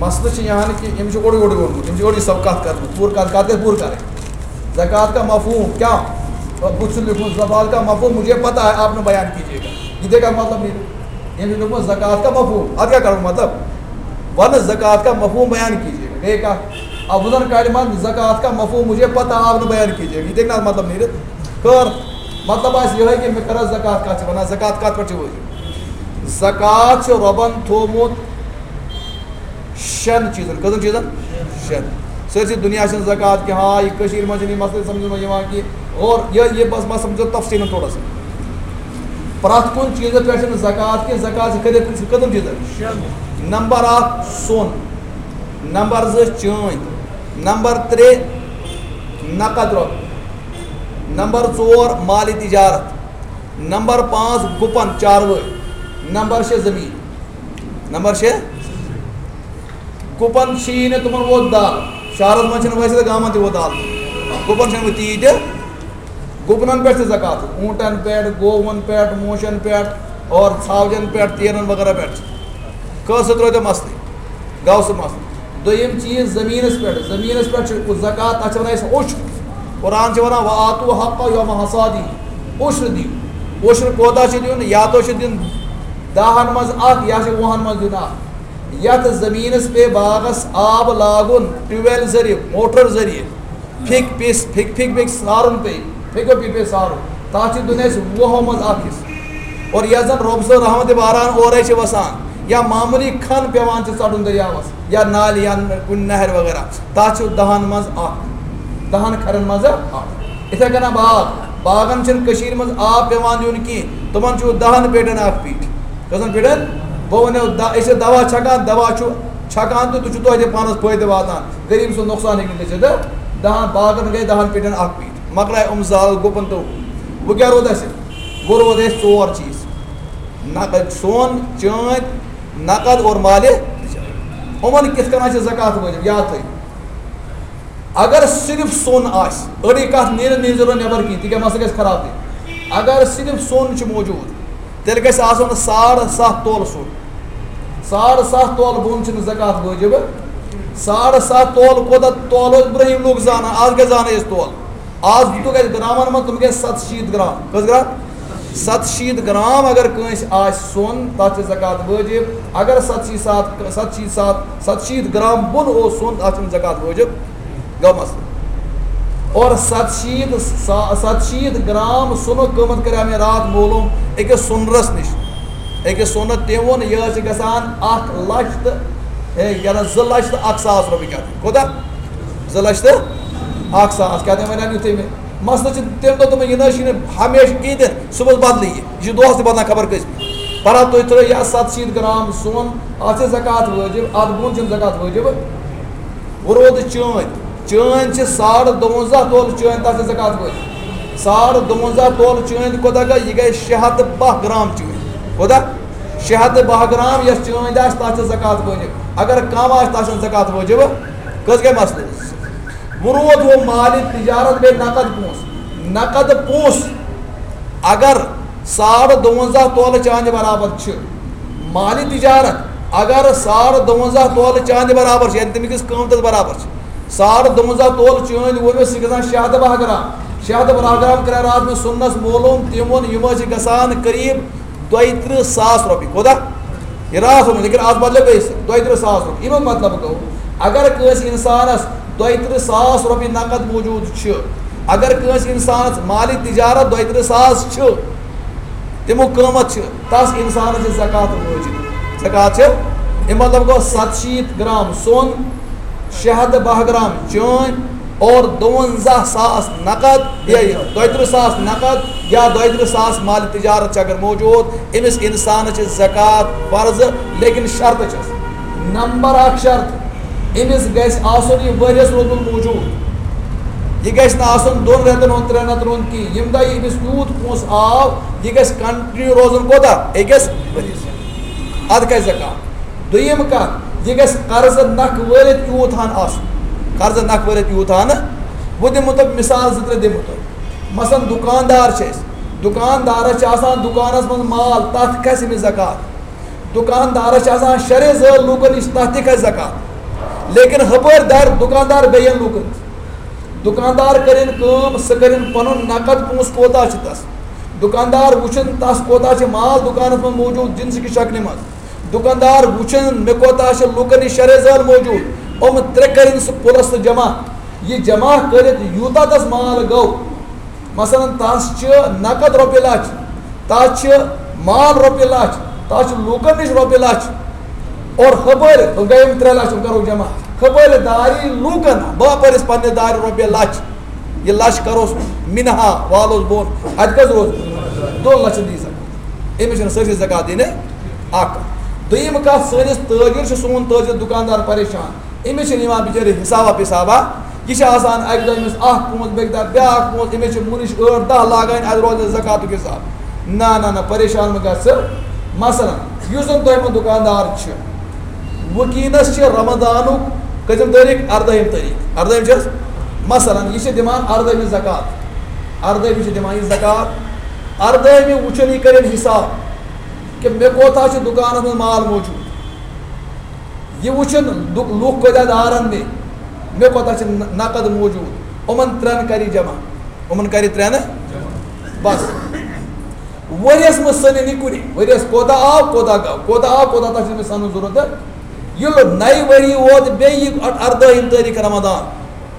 مسئلہٕ چھُ یہِ ہن کہِ أمِس چھُ اورٕ یورٕ ووٚنمُت، أمِس چھُ اورٕ یہِ سب کتھ کٔرمٕژ، پوٗرٕ کتھ، کتھ گژھِ پوٗرٕ کرٕنۍ۔ زکوٰۃ کا مفہوم کیا؟ اور بُتھ چھُ لیوٗکھمُت، زکوٰۃ کا مفہوم مجھے پتہ ہے، آپ نے بیان کیجیے گا۔ یہِ تہِ کتھ مطلب نیرِ؟ أمۍ چھُ لیوٗکھمُت زکوٰۃ کا مفہوم، اتھ کیٛاہ کرُن مطلب؟ ون زکوٰۃ کا مفہوم بیان کیجیے گا۔ گٔے کتھ؟ اب وۄنۍ زن کڑِ منٛز زکوٰۃ کا مفہوم مجھے پتہ، آپ نے بیان کیجیے گا۔ یہِ تہِ نہ مطلب نیرِ۔ کر مطلب آسہِ یِہوٚے کہِ مےٚ کر زکوٰۃ کتھ چھِ ونان، زکوٰۃ کتھ پٮ۪ٹھ چھِ وٲجِب؟ زکوٰۃ چھُ رۄبن تھوٚومُت شٮ۪ن چیٖزن۔ کٔژن چیٖزن؟ شٮ۪ن۔ سٲرسٕے دُنیا چھِنہٕ زکوٰۃ کہِ، ہاں، یہِ کٔشیٖرِ منٛز چھِنہٕ یہِ مسلہٕ سمجھنہٕ یِوان کہِ، اور یہِ، یہِ بس، بس سمجھو تفصیٖلن تھوڑا سا۔ پرٛٮ۪تھ کُنہِ چیٖزس پٮ۪ٹھ چھِنہٕ زکوٰۃ کہِ، زکوٰۃ چھِ کٔرِتھ، چھِ کٔژن چیٖزن؟ شٮ۪ن۔ نمبر اکھ سۄن، نمبر زٕ چٲنۍ، نمبر ترٛےٚ نقد رۄپیہِ، نمبر ژور مالِ تجارت، نمبر پانٛژھ گُپن چاروٲے، نمبر شےٚ زٔمیٖن۔ نمبر شےٚ، گُپن چھِی نہٕ تِمن ووت دال۔ شہرس منٛز چھِنہٕ ویسے تہٕ گامن تہِ ووت دال۔ گُپن چھِنہٕ وۄنۍ تیٖتۍ تہِ۔ گُپنن پٮ۪ٹھ تہِ زکوٰۃ، اوٗنٹن پٮ۪ٹھ، گوون پٮ۪ٹھ، موشن پٮ۪ٹھ اور ژھاوجن پٮ۪ٹھ، تیرن وغیرہ پٮ۪ٹھ۔ کٲنٛسہِ سۭتۍ روزِ مسلہٕ، گوٚو سُہ مسلہٕ۔ دوٚیِم چیٖز زٔمیٖنس پٮ۪ٹھ، زٔمیٖنس پٮ۪ٹھ چھُ زکوٰۃ، تتھ چھِ ونان أسۍ عُشر۔ قرآن چھِ ونان، "وآتوا حقہ یوم حصادی"، عُشر دِیِو۔ عُشر کوتاہ چھُ دیُن؟ یا تو چھُ دیُن دہن منٛز اکھ، یا چھُ وُہن منٛز دیُن اکھ۔ یتھ زٔمیٖنس پے باغس آب لاگُن، ٹیوب ویل ذٔریعہٕ، موٹر ذٔریعہٕ، پھیٚکہِ پیٚیہِ، پھیٚکہِ، پھیٚکہِ، پھیٚکہِ سارُن پیٚیہِ، پھیٚکیو پیٚیہِ، پیٚیہِ سارُن۔ تتھ چھِ دیُن اَسہِ وُہو منٛز اکھ حصہٕ۔ اور یتھ زن رۄب سٕنٛز رحمتِ باران اورے چھِ وسان، یا معموٗلی کھن پٮ۪وان چھِ ژٹُن دٔریاوس، یا نالہِ، یا کُنہِ نہرِ وغیرہ، تتھ چھِ دہن منٛز اکھ، دہن کھرٮ۪ن منٛز اکھ۔ یِتھے کٔنۍ باغ، باغن چھِنہٕ کٔشیٖرِ منٛز آب پٮ۪وان دیُن کینٛہہ، تِمن چھُ دہن پیٹٮ۪ن اکھ پیٖٹ۔ کٔژن پیٹٮ۪ن؟ بہٕ ونو، د-، أسۍ چھِ دوا چھکان، دوا چھُ چھکان تہٕ تُہۍ چھِو توتہِ پانس فٲیدٕ واتان، غریٖب سُنٛد نۄقصان ہیٚکہِ نہٕ گٔژھِتھ۔ دہن باغن گٔے دہن پیٹٮ۪ن اکھ پیٖٹ، مۄکلایہِ یِم زال گُپن تہٕ ہُہ۔ وۄنۍ کیٛاہ روٗد اَسہِ؟ وۄنۍ روٗد اَسہِ ژور چیٖز، نقد، سۄن، چٲنٛدۍ، نقد اور مالِ۔ یِمن کِتھ کٔنۍ چھِ زکوٰۃ وٲجِب؟ یاد تھٲیِو۔ اگر صرف سۄن آسہِ، أڑٕے کتھ نیرِ نہٕ، نیرِ ضروٗرت نٮ۪بر کِہیٖنۍ، تِکیٛازِ مسلہٕ گژھِ خراب تہِ۔ اگر صرف سۄن چھُ موجود، تیٚلہِ گژھِ آسُن ساڑ ستھ تولہٕ سۄن۔ ساڑ ستھ تولہٕ بۄن چھُنہٕ زکوٰۃ وٲجِب۔ ساڑ ستھ تولہٕ کوٗتاہ تولہٕ ٲسۍ برٛونٛہِم لوٗکھ زانان، آز کیٛاہ زانو أسۍ تولہٕ؟ آز دِتُکھ اَسہِ گرامن منٛز، تِم گٔے ستہٕ شیٖتھ گرام۔ کٔژ گرام؟ ستہٕ شیٖتھ گرام اگر کٲنٛسہِ آسہِ سۄن، تتھ چھِ زکوٰۃ وٲجِب۔ اگر ستہٕ شیٖتھ ساتھ، ستہٕ شیٖتھ ساتھ، ستہٕ شیٖتھ گرام بۄن اوس سۄن، تتھ چھُنہٕ زکوٰۃ وٲجِب۔ گوٚو مسلہٕ۔ اور ستہٕ شیٖتھ سا-، ستہٕ شیٖتھ گرام سۄنُک قۭمتھ کریٛاو مےٚ راتھ معلوم أکِس سۄنرس نِش۔ أکِس سۄنہٕ تٔمۍ ووٚن، یہِ حظ چھِ گژھان اکھ لچھ تہٕ، ہے، یہِ حظ زٕ لچھ تہٕ اکھ ساس رۄپیہِ۔ کیٛاہ تام؟ کوٗتاہ؟ زٕ لچھ تہٕ اکھ ساس۔ کیٛاہ تام وَنان یُتھُے مےٚ مسلہٕ چھِ، تٔمۍ دوٚپ، دوٚپُن، یہِ نہ حظ چھِنہٕ ہمیشہِ کِہیٖنۍ تہِ نہٕ، صُبحس بدلٕے یہِ۔ یہِ چھُ دۄہس تہِ بدلان خبر کٔژِ۔ پَرا تُہۍ ترٛٲیِو یہِ ستہٕ شیٖتھ گرام سۄن، اَتھ چھِ زکوٰۃ وٲجِب، اَتھ بۄن چھِنہٕ زکوٰۃ وٲجِب۔ وۄنۍ روٗد چٲنٛدۍ۔ چٲنٛدۍ چھِ ساڑٕ دُوَنزاہ تولہٕ چٲنٛدۍ، تَتھ چھِ زکوٰۃ وٲجِب۔ ساڑٕ دُوَنزاہ تولہٕ چٲنٛدۍ کوٗتاہ گٔے؟ یہِ گٔے شےٚ ہَتھ تہٕ باہ گرام چٲنٛدۍ۔ کوٗتاہ؟ شےٚ ہَتھ تہٕ باہ گرام یۄس چٲنٛدۍ آسہِ، تَتھ چھِ زکوٰۃ وٲجِب۔ اگر کم آسہِ، تَتھ چھَنہٕ زکوٰۃ وٲجِب۔ کٔژ گٔے مسلہٕ؟ وۄنۍ روٗد ہُہ مالِ تجارت بیٚیہِ نقد پونٛسہٕ۔ نقد پونٛسہٕ اگر ساڑٕ دُوَنزاہ تولہٕ چاندِ برابر چھِ، مالِ تجارت اگر ساڑٕ دُوَنزاہ تولہٕ چاندِ برابر چھِ، یعنی تَمہِ کِس قۭمتَس برابر چھِ، ساڑٕ دُوَنزاہ تولہٕ چٲنٛدۍ ووٚن مےٚ، سُہ چھِ گژھان شےٚ ہَتھ تہٕ باہ گرام۔ شےٚ ہَتھ تہٕ باہ گرام کَرے راتھ مےٚ سُننَس معلوم، تِم ووٚن، یِم حظ چھِ گژھان قریٖب دۄیہِ تٕرٛہ ساس رۄپیہِ۔ کوٗتاہ؟ یہِ راتھ ووٚن مےٚ، لیکن آز بدلیو بیٚیہِ سُہ، دۄیہِ تٕرٛہ ساس رۄپیہِ۔ اَمیُک مطلب گوٚو، اگر کٲنٛسہِ اِنسانَس دۄیہِ تٕرٛہ ساس رۄپیہِ نقد موجود چھِ، اگر کٲنٛسہِ اِنسانَس مالِ تجارت دۄیہِ تٕرٛہ ساس چھِ، تَمیُک قۭمَتھ چھِ، تَس اِنسانَس چھِ زکوٰۃ وٲجِب۔ زکوٰۃ چھِ، اَمیُک مطلب گوٚو، ستہٕ شیٖتھ گرام سۄن، شےٚ ہَتھ تہٕ باہ گرام چٲنٛدۍ اور دُوَنزاہ ساس نقد، یا دۄیہِ تٕرٛہ ساس نقد یا دۄیہِ تٕرٛہ ساس مالِ تجارت چھِ اگر موجود، أمِس اِنسانَس چھِ زکوٰۃ فرض، لیکن شرطہٕ چھَس۔ نمبر اکھ شرط، أمِس گژھِ آسُن یہِ ؤریَس روٗدمُت موجود۔ یہِ گژھِ نہٕ آسُن دۄن رٮ۪تَن ہُنٛد، ترٛٮ۪ن رٮ۪تَن ہُنٛد کِہیٖنۍ۔ ییٚمہِ دۄہ یہِ أمِس یوٗت پونٛسہٕ آو، یہِ گژھِ continue روزُن کوٗتاہ؟ أکِس ؤریَس۔ اَدٕ کھسہِ زکوٰۃ۔ دوٚیِم کَتھ، یہِ گژھِ قرضہٕ نکھٕ وٲلِتھ یوٗت ہَن آسُن۔ قرضہٕ نکھٕ وٲلِتھ یوٗت ہَن۔ بہٕ دِمہٕ تۄہہِ مِثال زٕ ترٛےٚ دِمہٕ تۄہہِ۔ مثلاً دُکاندار چھِ أسۍ۔ دُکاندارَس چھِ آسان دُکانَس منٛز مال، تَتھ کھسہِ أمِس زکوٰۃ۔ دُکاندارَس چھِ آسان شرے زٲل لوٗکَن نِش، تَتھ تہِ کھسہِ زکوٰۃ۔ لیکن ہپٲرۍ دارِ دُکاندار بیٚین لوٗکن۔ دُکاندار کٔرِن کٲم، سُہ کٔرِن پنُن نقد پونٛسہٕ کوتاہ چھُ تس۔ دُکاندار وٕچھن تس کوتاہ چھُ مال دُکانس منٛز موجود جنسہٕ کہِ شکلہِ منٛز۔ دُکاندار وٕچھن مےٚ کوتاہ چھُ لوٗکن نِش شرے زٲل موجود۔ یِم ترٛےٚ کٔرِن سُہ پُلس تہٕ جمع۔ یہِ جمع کٔرِتھ یوٗتاہ تس مال گوٚو، مثلاً، تس چھِ نقد رۄپیہِ لچھ، تس چھِ مال رۄپیہِ لچھ، تس چھِ لوٗکن نِش رۄپیہِ لچھ، اور ہپٲرۍ گٔے یِم ترٛےٚ لچھ، یِم کرو جمع۔ ہپٲرۍ داری لوٗکن، باپٲرِس پننہِ دارِ رۄپیہِ لچھ، یہِ لچھ کروس منہا، والوس بۄن، اتہِ کٔژ روز؟ دۄن لچھن دی زکات۔ أمِس چھِنہٕ سٲرسٕے زکات دِنہِ اکھ۔ دوٚیِم کتھ، سٲنِس تٲجر چھُ، سون تٲجر دُکاندار پریشان۔ أمِس چھِنہٕ یِوان بِچٲرِس حِسابا پِسابا۔ یہِ چھِ آسان اَکہِ دۄہ أمِس اَکھ پونٛسہٕ، بیٚکہِ دۄہ بیٛاکھ پونٛسہٕ۔ أمِس چھِ مُنِش ٲٹھ دَہ لاگٕنۍ، اَتہِ روزِ نہٕ زکاتُک حِساب۔ نہ، نہ، نہ، پریشان مہٕ گژھ ژٕ۔ مثلاً، یُس زَن تۄہہِ منٛز دُکاندار چھِ، وٕنکیٚنَس چھِ رمضانُک کٔژِم تٲریٖخ؟ اَردٲہِم تٲریٖخ۔ اَردٲہِم چھِ حظ؟ مثلاً، یہِ چھِ دِوان اَردٲہِمہِ زکات۔ اَردٲہِمہِ چھِ دِوان یہِ زکات۔ اَردٲہِمہِ وٕچھُن یہِ کَرن حِساب کہِ مےٚ کوتاہ چھُ دُکانَس منٛز مال موجوٗد۔ یہِ وٕچھُن لُ-، لُکھ کۭتیٛاہ دارَن مےٚ، مےٚ کوتاہ چھِ نَ-، نقد موجوٗد، یِمَن ترٛٮ۪ن کَرِ یہِ جمع، یِمَن کَرِ ترٛٮ۪ن بَس۔ ؤریَس منٛز سٔنِن یہِ کُنہِ، ؤریَس کوتاہ آو، کوتاہ گوٚو، کوتاہ آو، کوتاہ، تَتھ چھِنہٕ مےٚ سَنُن ضوٚرَتھ۔ ییٚلہِ نَیہِ ؤری ووت بیٚیہِ یہِ اَ-، اَردٲہِم تٲریٖخ رمضان،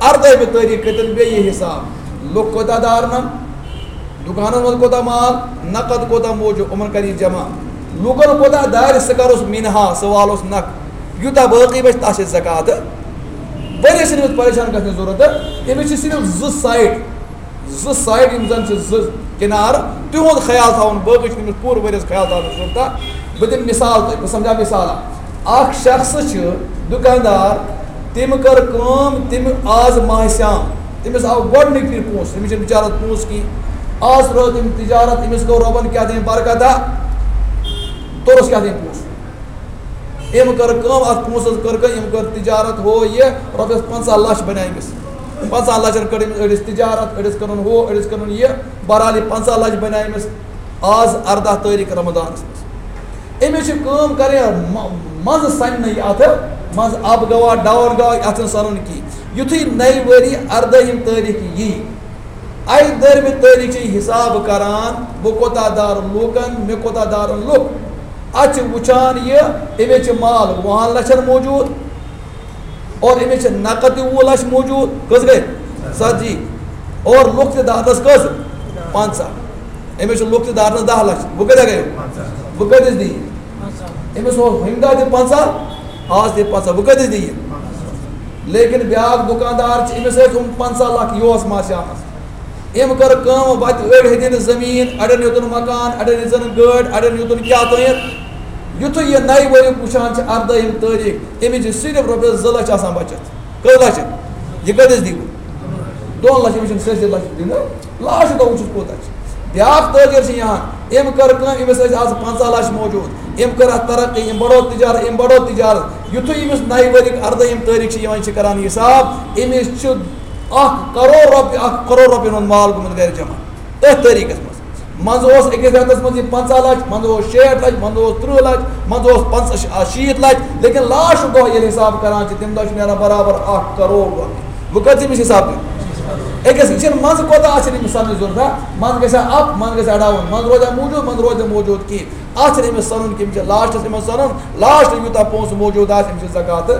اَردٲہِمہِ تٲریٖخ کٔرۍتَن بیٚیہِ یہِ حِساب، لُکھ کوتاہ دارَن، دُکانَس منٛز کوتاہ مال، نقد کوتاہ موجوٗد، یِمَن کَرِ یہِ جمع۔ لوٗکَن کوتاہ دارِ، سُہ کَروس مِنہا، سُہ والوس نَکھ۔ یوٗتاہ باقٕے بَچہِ، تَتھ چھِ زکات۔ ؤریَس چھِنہٕ أمِس پریشان گژھنٕچ ضوٚرَتھ۔ أمِس چھِ صرف زٕ سایڈ، زٕ سایڈ یِم زَن چھِ زٕ کِنارٕ، تِہُنٛد خیال تھاوُن، باقٕے چھُنہٕ أمِس پوٗرٕ ؤریَس خیال تھاونٕچ ضوٚرَتھ۔ بہٕ دِمہٕ مِثال تۄہہِ، بہٕ سَمجھاو مِثال اَکھ۔ اَکھ شخص چھُ دُکاندار، تٔمۍ کٔر کٲم، تٔمۍ آز ماہِ صیام، تٔمِس آو گۄڈٕنِکۍ پھِرِ پونٛسہٕ، تٔمِس چھِنہٕ بِچارَس پونٛسہٕ کِہیٖنۍ۔ آز ترٛٲو تٔمۍ تِجارت، أمِس گوٚو رۄبَن کیٛاہ تام برکتہ، توٚرُس کیٛاہ تام پونٛسہٕ۔ أمۍ کٔر کٲم، اَتھ پونٛسَس کٔر کٲم، أمۍ کٔر تِجارت، ہُہ یہِ، رۄپیَس پنٛژاہ لَچھ بَنے أمِس۔ پنٛژاہ لَچھَن کٔر أمِس أڑِس تِجارت، أڑِس کٔرٕن ہُہ، أڑِس کٔرٕن یہِ۔ بہرحال، یہِ پنٛژاہ لَچھ بَنے أمِس آز اَرداہ تٲریٖخ رمضانَس منٛز۔ أمِس چھِ کٲم کَرٕنۍ، مَ-، منٛزٕ سَنہِ نہٕ یہِ اَتھٕ، منٛزٕ اَب گواہ، ڈاوُن گواہ، اَتھ چھُنہٕ سَنُن کِہیٖنۍ۔ یُتھُے نَیہِ ؤری اَردٲہِم تٲریٖخ یی، اَکہِ دٔرمہِ تٲریٖخ چھِ یہِ حِساب کَران، بہٕ کوٗتاہ دارٕ لوٗکَن، مےٚ کوٗتاہ دارَن لُکھ۔ اَتھ چھِ وٕچھان یہِ، أمِس چھِ مال وُہَن لَچھَن موجوٗد، اور أمِس چھِ نقد تہِ وُہ لَچھ موجوٗد۔ کٔژ گٔے؟ ژَتجی۔ اور لُکھ تہِ دارنَس کٔژ؟ پنٛژاہ۔ أمِس چھِ لُکھ تہِ دارنَس دَہ لَچھ۔ وۄنۍ کۭتیٛاہ گٔے؟ وۄنۍ کۭتِس دِیہِ؟ أمِس اوس ہُمہِ دۄہ تہِ پنٛژاہ، آز تہِ پنٛژاہ۔ وۄنۍ کۭتِس دِیہِ؟ لیکن بیٛاکھ دُکاندار چھِ، أمِس ٲسۍ یِم پنٛژاہ لَچھ، یہِ اوس ماسہِ آمٕژ۔ أمۍ کٔر کٲم، وَتہِ أڑۍ ہیٚتِن زٔمیٖن، اَڑٮ۪ن ہیوٚتُن مکان، اَڑٮ۪ن ہیٚژٕن گٲڑۍ، اَڑٮ۪ن ہیوٚتُن کیٛاہ تام۔ یُتھُے یہِ نَیہِ ؤریُک وٕچھان چھِ اَردٲہِم تٲریٖخ، أمِس چھِ صرف رۄپیَس زٕ لَچھ آسان بَچَتھ۔ کٔژ لَچھ؟ یہِ کۭتِس دِیِو؟ دۄن لَچھَن، أمِس چھِنہٕ سٲرسٕے لَچھَس دِنۍ۔ لاسٹ دۄہ وٕچھُس کوٗتاہ چھِ۔ بیٛاکھ تٲجِر چھِ یِوان، أمۍ کٔر کٲم، أمِس ٲسۍ آز پنٛژاہ لَچھ موجوٗد، أمۍ کٔر اَتھ ترقی، أمۍ بَڑوو تِجارت، أمۍ بَڑوو تِجارت۔ یُتھُے أمِس نَیہِ ؤریُک اَردٲہِم تٲریٖخ چھِ یِوان، یہِ چھِ کَران حِساب، أمِس چھُ اَکھ کَرور رۄپیہِ، اَکھ کَرور رۄپیَن ہُنٛد مال گوٚمُت گَرِ جمع۔ أتھۍ تٲریٖخَس منٛز۔ منٛزٕ اوس أکِس رٮ۪تَس منٛز یہِ پنٛژاہ لَچھ، منٛزٕ اوس شیٹھ لَچھ، منٛزٕ اوس تٕرٛہ لَچھ، منٛزٕ اوس پنٛژاہ، شیٖتھ لَچھ، لیکن لاسٹ دۄہ ییٚلہِ حِساب کَران چھِ، تَمہِ دۄہ چھِ نیران برابر اَکھ کَرور رۄپیہِ۔ وۄنۍ کٔژ چھِ أمِس حِساب دیُن؟ أکِس، یہِ چھِنہٕ منٛزٕ کوتاہ آسہِ أمِس سَننٕچ ضوٚرَتھ، ہا؟ منٛزٕ گژھِ ہا اَپ، منٛزٕ گژھِ ہا ڈاوُن، منٛزٕ روزِ ہا موٗجوٗد، منٛزٕ روزِ نہٕ موٗجوٗد کِہیٖنۍ۔ اَتھ چھِنہٕ أمِس سَنُن کہِ أمِس چھِ لاسٹَس، أمِس سَنُن لاسٹ یوٗتاہ پونٛسہٕ موٗجوٗد آسہِ، أمِس چھِ زکات۔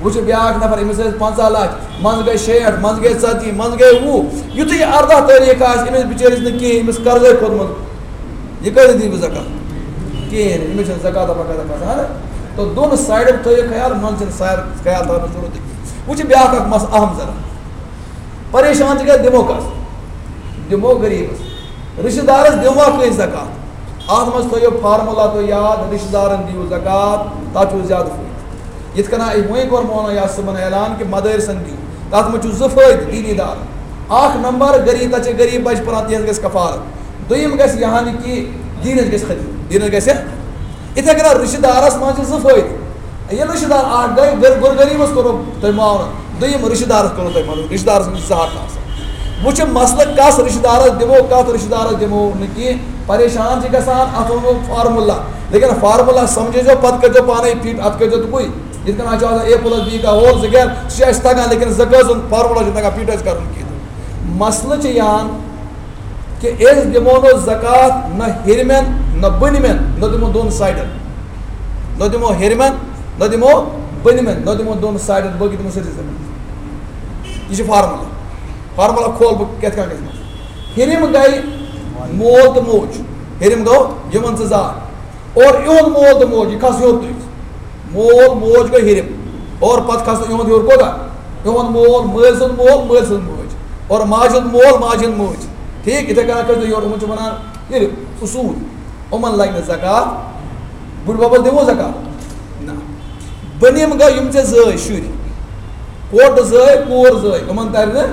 وۄنۍ چھُ بیٛاکھ نفر، أمِس ٲسۍ پنٛژاہ لَچھ، منٛزٕ گٔے شیٹھ، منٛزٕ گٔے ژَتجی، منٛزٕ گٔے وُہ۔ یُتھُے یہِ اَرداہ تٲریٖخ آسہِ، أمِس بِچٲرِس نہٕ کِہیٖنۍ، أمِس قرضے کھوٚتمُت، یہِ کۭتِس دِیہِ بہٕ زکات؟ کِہیٖنۍ، أمِس چھِنہٕ زکات وکات کھسان۔ تہٕ دۄن سایڈَن تھٲیِو خیال، منٛزٕ چھِنہٕ سایڈ خیال تھاونٕچ ضوٚرَتھ کِہیٖنۍ۔ وۄنۍ چھُ بیٛاکھ اَکھ مسلہٕ اَہَم ذرا۔ پریشان چھِ گژھِ دِمو کَس؟ دِمو غریٖبَس۔ رِشتہٕ دارَس دِموا کٲنٛسہِ زکات؟ اَتھ منٛز تھٲیِو فارمولا تُہۍ یاد، رِشتہٕ دارَن دِیِو زکات، تَتھ چھُ زیادٕ فٲیدٕ۔ یِتھ کٔنۍ أسۍ وۄنۍ کوٚر مولانا یاسر صٲبَن اعلان کہِ مدٲرِسَن دِیِو، تَتھ منٛز چھُ زٕ فٲیدٕ دیٖنی دارَن۔ اَکھ نمبر، غریٖب، تَتہِ چھِ غریٖب بَچہِ پَران، تِہِنٛز گژھِ کفالت۔ دوٚیِم گژھِ یہِ ہَن کہِ دیٖنَس گژھِ خدمت، دیٖنَس گژھِ۔ یِتھَے کٔنۍ رِشتہٕ دارَس منٛز چھِ زٕ فٲیدٕ۔ ییٚلہِ رِشتہٕ دار اَکھ گٔے، غر-، غُر غریٖبَس کوٚرُکھ تۄہہِ معاوضہٕ، دوٚیِم رِشتہٕ دارَس کوٚرُکھ تۄہہِ مدد، رِشتہٕ دارَس منٛز چھِ زٕ حق آسان۔ وۄنۍ چھِ مسلہٕ کَس رِشتہٕ دارَس دِمو، کَتھ رِشتہٕ دارَس دِمو نہٕ کینٛہہ، پریشان چھِ گژھان، اَتھ وَنو فارمولا۔ لیکن فارمولا سَمجھٲیزیو، پَتہٕ کٔرۍزیو پانَے فِٹ، اَتھ کٔرۍزیو تُکُے۔ یِتھ کٔنۍ آز چھُ آسان اے پلس بی کا ہول زٕ گرِ، سُہ چھُ اَسہِ تَگان، لیکن زکٲژ ہُنٛد فارمولا چھُنہٕ تَگان فِٹ اَسہِ کَرُن کِہیٖنۍ۔ مسلہٕ چھِ یہِ ہَن کہِ أسۍ دِمو نہٕ زکات نہ ہیٚرمٮ۪ن نہ بٔنمٮ۪ن، نہ دِمو دۄن سایڈَن، نہ دِمو ہیٚرمٮ۪ن، نہ دِمو بٔنمٮ۪ن، نہ دِمو دۄن سایڈَن، باقٕے دِمو سٲرسٕے زٔمیٖنَس۔ یہِ چھُ فارمولا۔ فارمولا کھول بہٕ کِتھ کٔنۍ گژھِ منٛز۔ ہیٚرِم گٔے مول تہٕ موج، ہیٚرِم گوٚو یِمَن ژٕ زا، اور یِہُنٛد مول تہٕ موج، یہِ کھس ہیوٚر تُہۍ۔ مول موج گوٚو ہیٚرِم، اور پتہٕ کھس یِہُنٛد ہیوٚر کوٗتاہ؟ یِہُنٛد مول، مٲلۍ سُنٛد مول، مٲلۍ سٕنٛز موج، اور ماجہِ ہُنٛد مول، ماجہِ ہُنٛد موج۔ ٹھیٖک، یِتھَے کٔنۍ کھس یورٕ، یِمَن چھِ وَنان ہیٚرِم، اصوٗل۔ یِمَن لَگہِ نہٕ زکات۔ بٕڈبَبَس دِمو زکات؟ نہ۔ بٔنِم گوٚو یِم ژےٚ زٲے شُرۍ، کوٹہٕ زٲے، کوٗر زٲے، یِمَن تَرِ نہٕ۔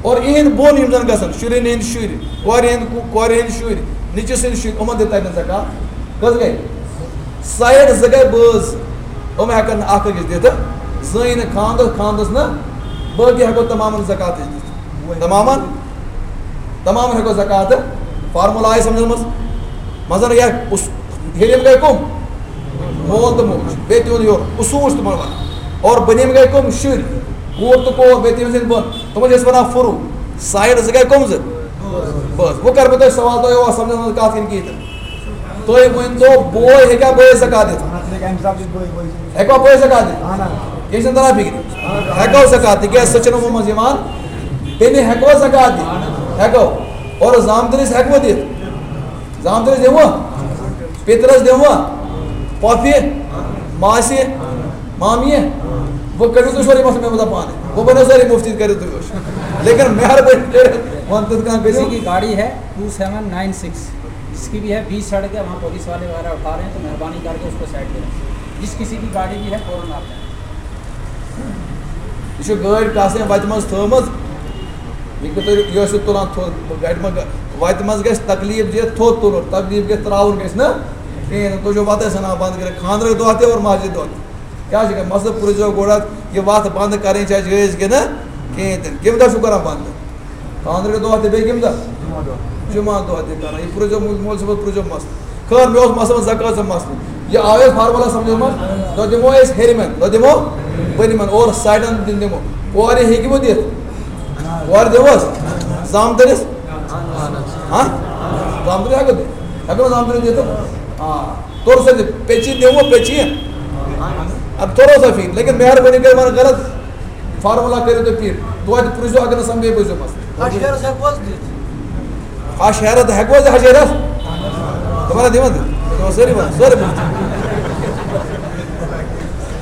اور یِہِنٛدۍ بۄن یِم زَن گژھن، شُرٮ۪ن ہِنٛدۍ شُرۍ، کورِ ہِنٛدۍ کو-، کورِ ہِنٛدۍ شُرۍ، نیٚچوِس ہِنٛدۍ شُرۍ، یِمَن تہِ تَرِ نہٕ زکات۔ کٔژ گٔے؟ سایڈ زٕ گٔے بٲژ، یِم ہٮ۪کَن نہٕ اَکھ أکِس دِتھ، زٲنۍ نہٕ خانٛدَس، خانٛدَس نہٕ، باقٕے ہٮ۪کو تَمامَن زکات أسۍ دِتھ۔ تَمامَن، تَمامَن ہٮ۪کو زکات، فارمولا آیہِ سَمجھَس منٛز؟ مَنٛزَن یا اُس-، ہیٚرِم گٔے کٕم؟ مول تہٕ موج، بیٚیہِ تِہُنٛد ہیوٚر، اصوٗل چھِ تِمَن وَنان۔ اور بٔنِم گٔے کٕم؟ شُرۍ، کوٗر تہٕ کور، بیٚیہِ تِہِنٛز ہِنٛدۍ بۄن، تِمَن چھِ أسۍ وَنان فروٗع۔ سایڈ زٕ گٔے کٕم زٕ؟ بٲژ۔ وۄنۍ کَرٕ بہٕ تۄہہِ سوال، تۄہہِ اوس سَمجھَس منٛز کَتھ کِنہٕ کِہیٖنۍ تہِ نہٕ؟ تُہۍ ؤنۍ تو، بوے ہیٚکیٛاہ بٲیِس زکات دِتھ؟ ہیٚکوا بٲیِس زکات دِتھ؟ کینٛہہ چھُنہٕ تَران فِکرِ۔ ہٮ۪کو زکات، تِکیٛازِ سۄ چھَنہٕ ووٚنمُت یِوان۔ بیٚنہِ ہٮ۪کوا زکات دِتھ؟ ہٮ۪کو۔ اور زامتٕرِس ہٮ۪کوا دِتھ؟ زامتٕرِس دِموا؟ پِترَس دِموا؟ پۄپھِ؟ ماسہِ؟ مامیہِ؟ وۄنۍ کٔرِو تُہۍ سورُے مسلہٕ مےٚ منٛز پانَے۔ وۄنۍ بَنیو سٲری مُفتی، کٔرِو تُہۍ وٕچھ۔ لیکن مہربٲنی کٔرِتھ وَن تہٕ کانٛہہ کٔرِو۔ کسی کی گاڑی ہے ٹو سیون نائن سکس، جس کی بھی ہے، بیچ سڑک ہے، وہاں پولیس والے وغیرہ اٹھا رہے ہیں، تو مہربانی کر کے اس کو سائڈ کریں۔ جس کسی کی گاڑی بھی ہے، فوراً آپ جائیں۔ یہِ چھِ گٲڑۍ کاسہِ وَتہِ منٛز تھٲومٕژ۔ یہِ کِتھ پٲٹھۍ یہِ ٲسِو تُلان تھوٚد؟ گاڑِ منٛز گژھِ، وَتہِ منٛز گژھِ تکلیٖف دِتھ تھوٚد تُلُن، تکلیٖف گژھِ ترٛاوُن گژھِ نہٕ کِہیٖنۍ۔ تُہۍ چھِو وَتَے ژھٕنان بنٛد کٔرِتھ، خانٛدرٕکۍ دۄہ تہِ اور مسجد دۄہ تہِ۔ کیٛاہ چھِ گژھان؟ مسلہٕ پرٛژھزیو گۄڈٕ اَتھ، یہِ وَتھ بنٛد کَرٕنۍ چھا جٲیِز کِنہٕ کِہیٖنۍ تہِ نہٕ؟ کَمہِ دۄہ چھُو کَران بنٛد؟ خانٛدرٕکۍ دۄہ تہِ بیٚیہِ کَمہِ دۄہ؟ جمعہ دۄہ تہِ کَران۔ یہِ پرٛژھزیو مول، مول صٲبَس پرٛژھزیو مسلہٕ۔ خٲر، مےٚ اوس مسلہٕ زکوٰۃ سُنٛد مسلہٕ۔ یہِ آو اَسہِ فارمولا سَمجھَس منٛز، دۄہ دِمو أسۍ ہیٚرمٮ۪ن، دۄہ دِمو بٔنمٮ۪ن، اور سایڈَن دِن دِمو۔ کورِ ہیٚکہِ وۄنۍ دِتھ؟ کورِ دِموس؟ زامتٕرِس؟ ہاں؟ زامتٕرِس ہٮ۪کو دِتھ؟ ہٮ۪کو نہٕ زامتٕرِس دِتھ؟ آ۔ توٚر سا دِ، پیٚچی دِمو، پیٚچی۔ اَدٕ توٚرو سا فِٹ، لیکن مہربٲنی کٔرِتھ وَن غلط۔ فارمولا کٔرِو تُہۍ فِٹ۔ توتہِ پرٛژھزیو، اگر نہٕ سَمجھے، بوٗزِو مسلہٕ۔ ہَش ہیرَس ہٮ۪کو حظ دِتھ؟ ہَش ہیرَس ہٮ۪کو حظ دِتھ؟ ہَش ہیرَس؟ تِمَن ہا دِوان تہِ۔ تِمَن سٲری وَنان، سٲری بوٗزِو۔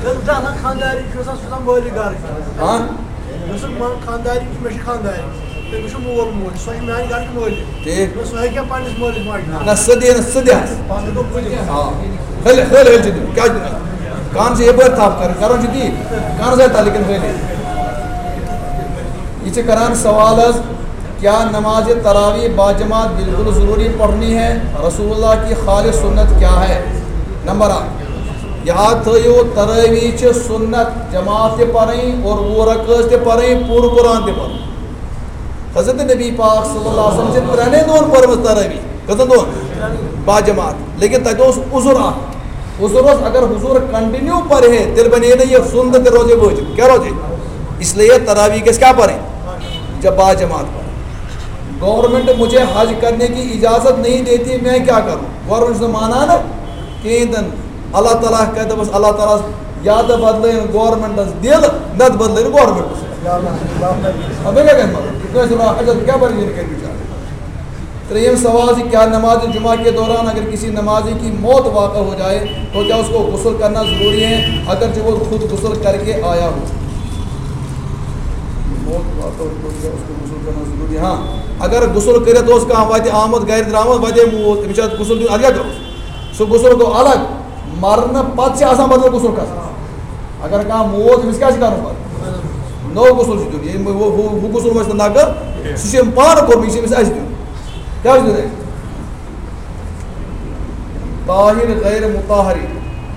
ییٚلہِ زَنان خانٛدارِنۍ چھُ آسان، سُہ چھُ آسان مٲلِک گَرٕ۔ ہاں؟ یُس زَن مان خانٛدارِنۍ چھِ، مےٚ چھِ خانٛدارِنۍ۔ تٔمِس چھُ مول موج، سۄ چھِ میٛانہِ گَرٕچ مٲلِک۔ ٹھیٖک۔ نہ، سُہ ہیٚکہِ ہا پنٛنِس مٲلِس ماجہِ نہٕ۔ نہ، سُہ دِیہِ نہٕ، سُہ دِیہِ ہَس۔ پَتہٕ گوٚو پُلِس۔ آ۔ ہیٚلہِ، ہیٚلہِ، ہیٚلہِ چھِ دیُن۔ کیٛازِ دیُن؟ کَن چھِ یَپٲرۍ تھَپھ کَرٕنۍ، کَرُن چھُ تی۔ کَن زَن تَلہٕ کِنۍ ہیٚلہِ۔ یہِ چھِ کَران سوال حظ، کیا نماز تراویح باجماعت بالکل ضروری پڑھنی ہے؟ رسول اللہ کی خالص سنت کیا ہے؟ نمبر اکھ، یاد تھٲیِو، ترٲویح چھِ سنت جماعت تہِ پَرٕنۍ اور وُہ رکٲژ تہِ پَرٕنۍ، پوٗرٕ قرآن تہِ پَرُن۔ حضرت نبی پاک صلی اللہ علیہ وسلم چھِ ترٛٮ۪نٕے دۄہَن پٔرمٕژ ترٲویح۔ کٔژَن دۄہَن؟ باجماعت۔ لیکن تَتہِ اوس عذر اَکھ۔ عذر اوس، اگر حضور کنٹینیو پَرِ ہے، تیٚلہِ بَنے نہٕ یہِ سُنت تہِ روزِ واجب۔ کیٛاہ روزِ؟ اس لیے ترٲویح گژھِ کیٛاہ پَرٕنۍ؟ جب باجماعت پَرٕنۍ۔ گورنمنٹ مجھے حج کرنے کی اجازت نہیں دیتی، میں کیا کروں؟ گورنمنٹ چھُنہٕ مانان کِہیٖنۍ تہِ نہٕ۔ اللہ تعالیٰ کَتہِ دَپَس، اللہ تعالیٰ ہَس یا تہٕ بدلٲیِن گورنمنٹَس دِل، نَتہٕ بدلٲیِن گورنمنٹَس۔ اَدٕ بیٚیہِ کیٛاہ گژھِ مطلب؟ کٲنٛسہِ وَنان حجَس کیٛاہ پَرِ یہِ کَرِ بِچارٕ؟ ترٛیٚیِم سوال چھِ، کیا نماز جمعہ کے دوران اگر کسی نمازی کی موت واقع ہو جائے تو کیا اس کو غسل کرنا ضروری ہے، اگرچہ وہ خود غسل کر کے آیا ہو؟ موت واقع ہو تو کیا اس کو غسل کرنا ضروری ہے؟ ہاں، اگر غسل کٔرِتھ اوس کانٛہہ وَتہِ آمُت، گَرِ درٛامُت، وَتے موٗد، تٔمِس چھِ اَتھ غسل دیُن، اَدٕ کیٛاہ کَرُس؟ سُہ غسل گوٚو الگ، مرنہٕ پَتہٕ چھِ آسان بدل غسل کَرُن۔ اگر کانٛہہ موٗد، أمِس کیٛاہ چھِ کَرُن پَتہٕ؟ نوٚو غسل چھُ دیُن۔ ییٚمۍ ہُہ، ہُہ، ہُہ غسل وۄنۍ چھُنہٕ نَقٕل، سُہ چھُ أمۍ پانہٕ کوٚرمُت، یہِ چھُ أمِس اَسہِ دیُن۔ کیٛاہ چھُ دیُن اَسہِ؟ طاہر غیر مطاہر۔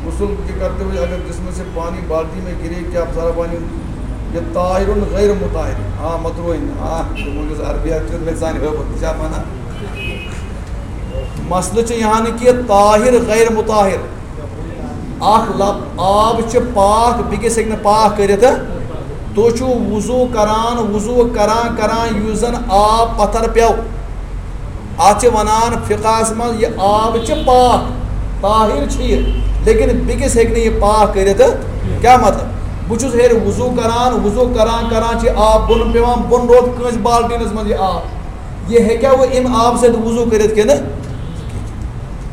غسل کے کرتے ہوئے اگر جسم سے پانی بالٹی میں گرے، کیا سارا پانی یہ طاہر غیر مطاہر؟ ہاں، مطروح ہے۔ ہاں، جو مجھے عربی آتی ہے، میں سانی ہو، کیا مانا؟ مسئلہ چھُ یہِ ہن کہِ طاہر غیر مطاہر۔ اکھ لب آب چھِ پاک، بیٚکِس ہیٚکہِ نہٕ پاک کٔرِتھ۔ تُہۍ چھِو وضو کران، وضو کران کران یُس زن آب پتھر پیوٚو، اتھ چھِ ونان فقہس منٛز یہِ آب چھِ پاک، طاہر چھِ یہِ، لیکن بیٚکِس ہیٚکہِ نہٕ یہِ پاک کٔرِتھ۔ کیٛاہ مطلب؟ بہٕ چھُس ہیٚرِ وضو کران، وضو کران کران چھِ آب بۄن پیوان، بۄن روٗد کٲنٛسہِ بالٹیٖنس منٛز یہِ آب۔ یہِ ہیٚکیٛاہ وۄنۍ اَمہِ آبہٕ سۭتۍ وضو کٔرِتھ کِنہٕ؟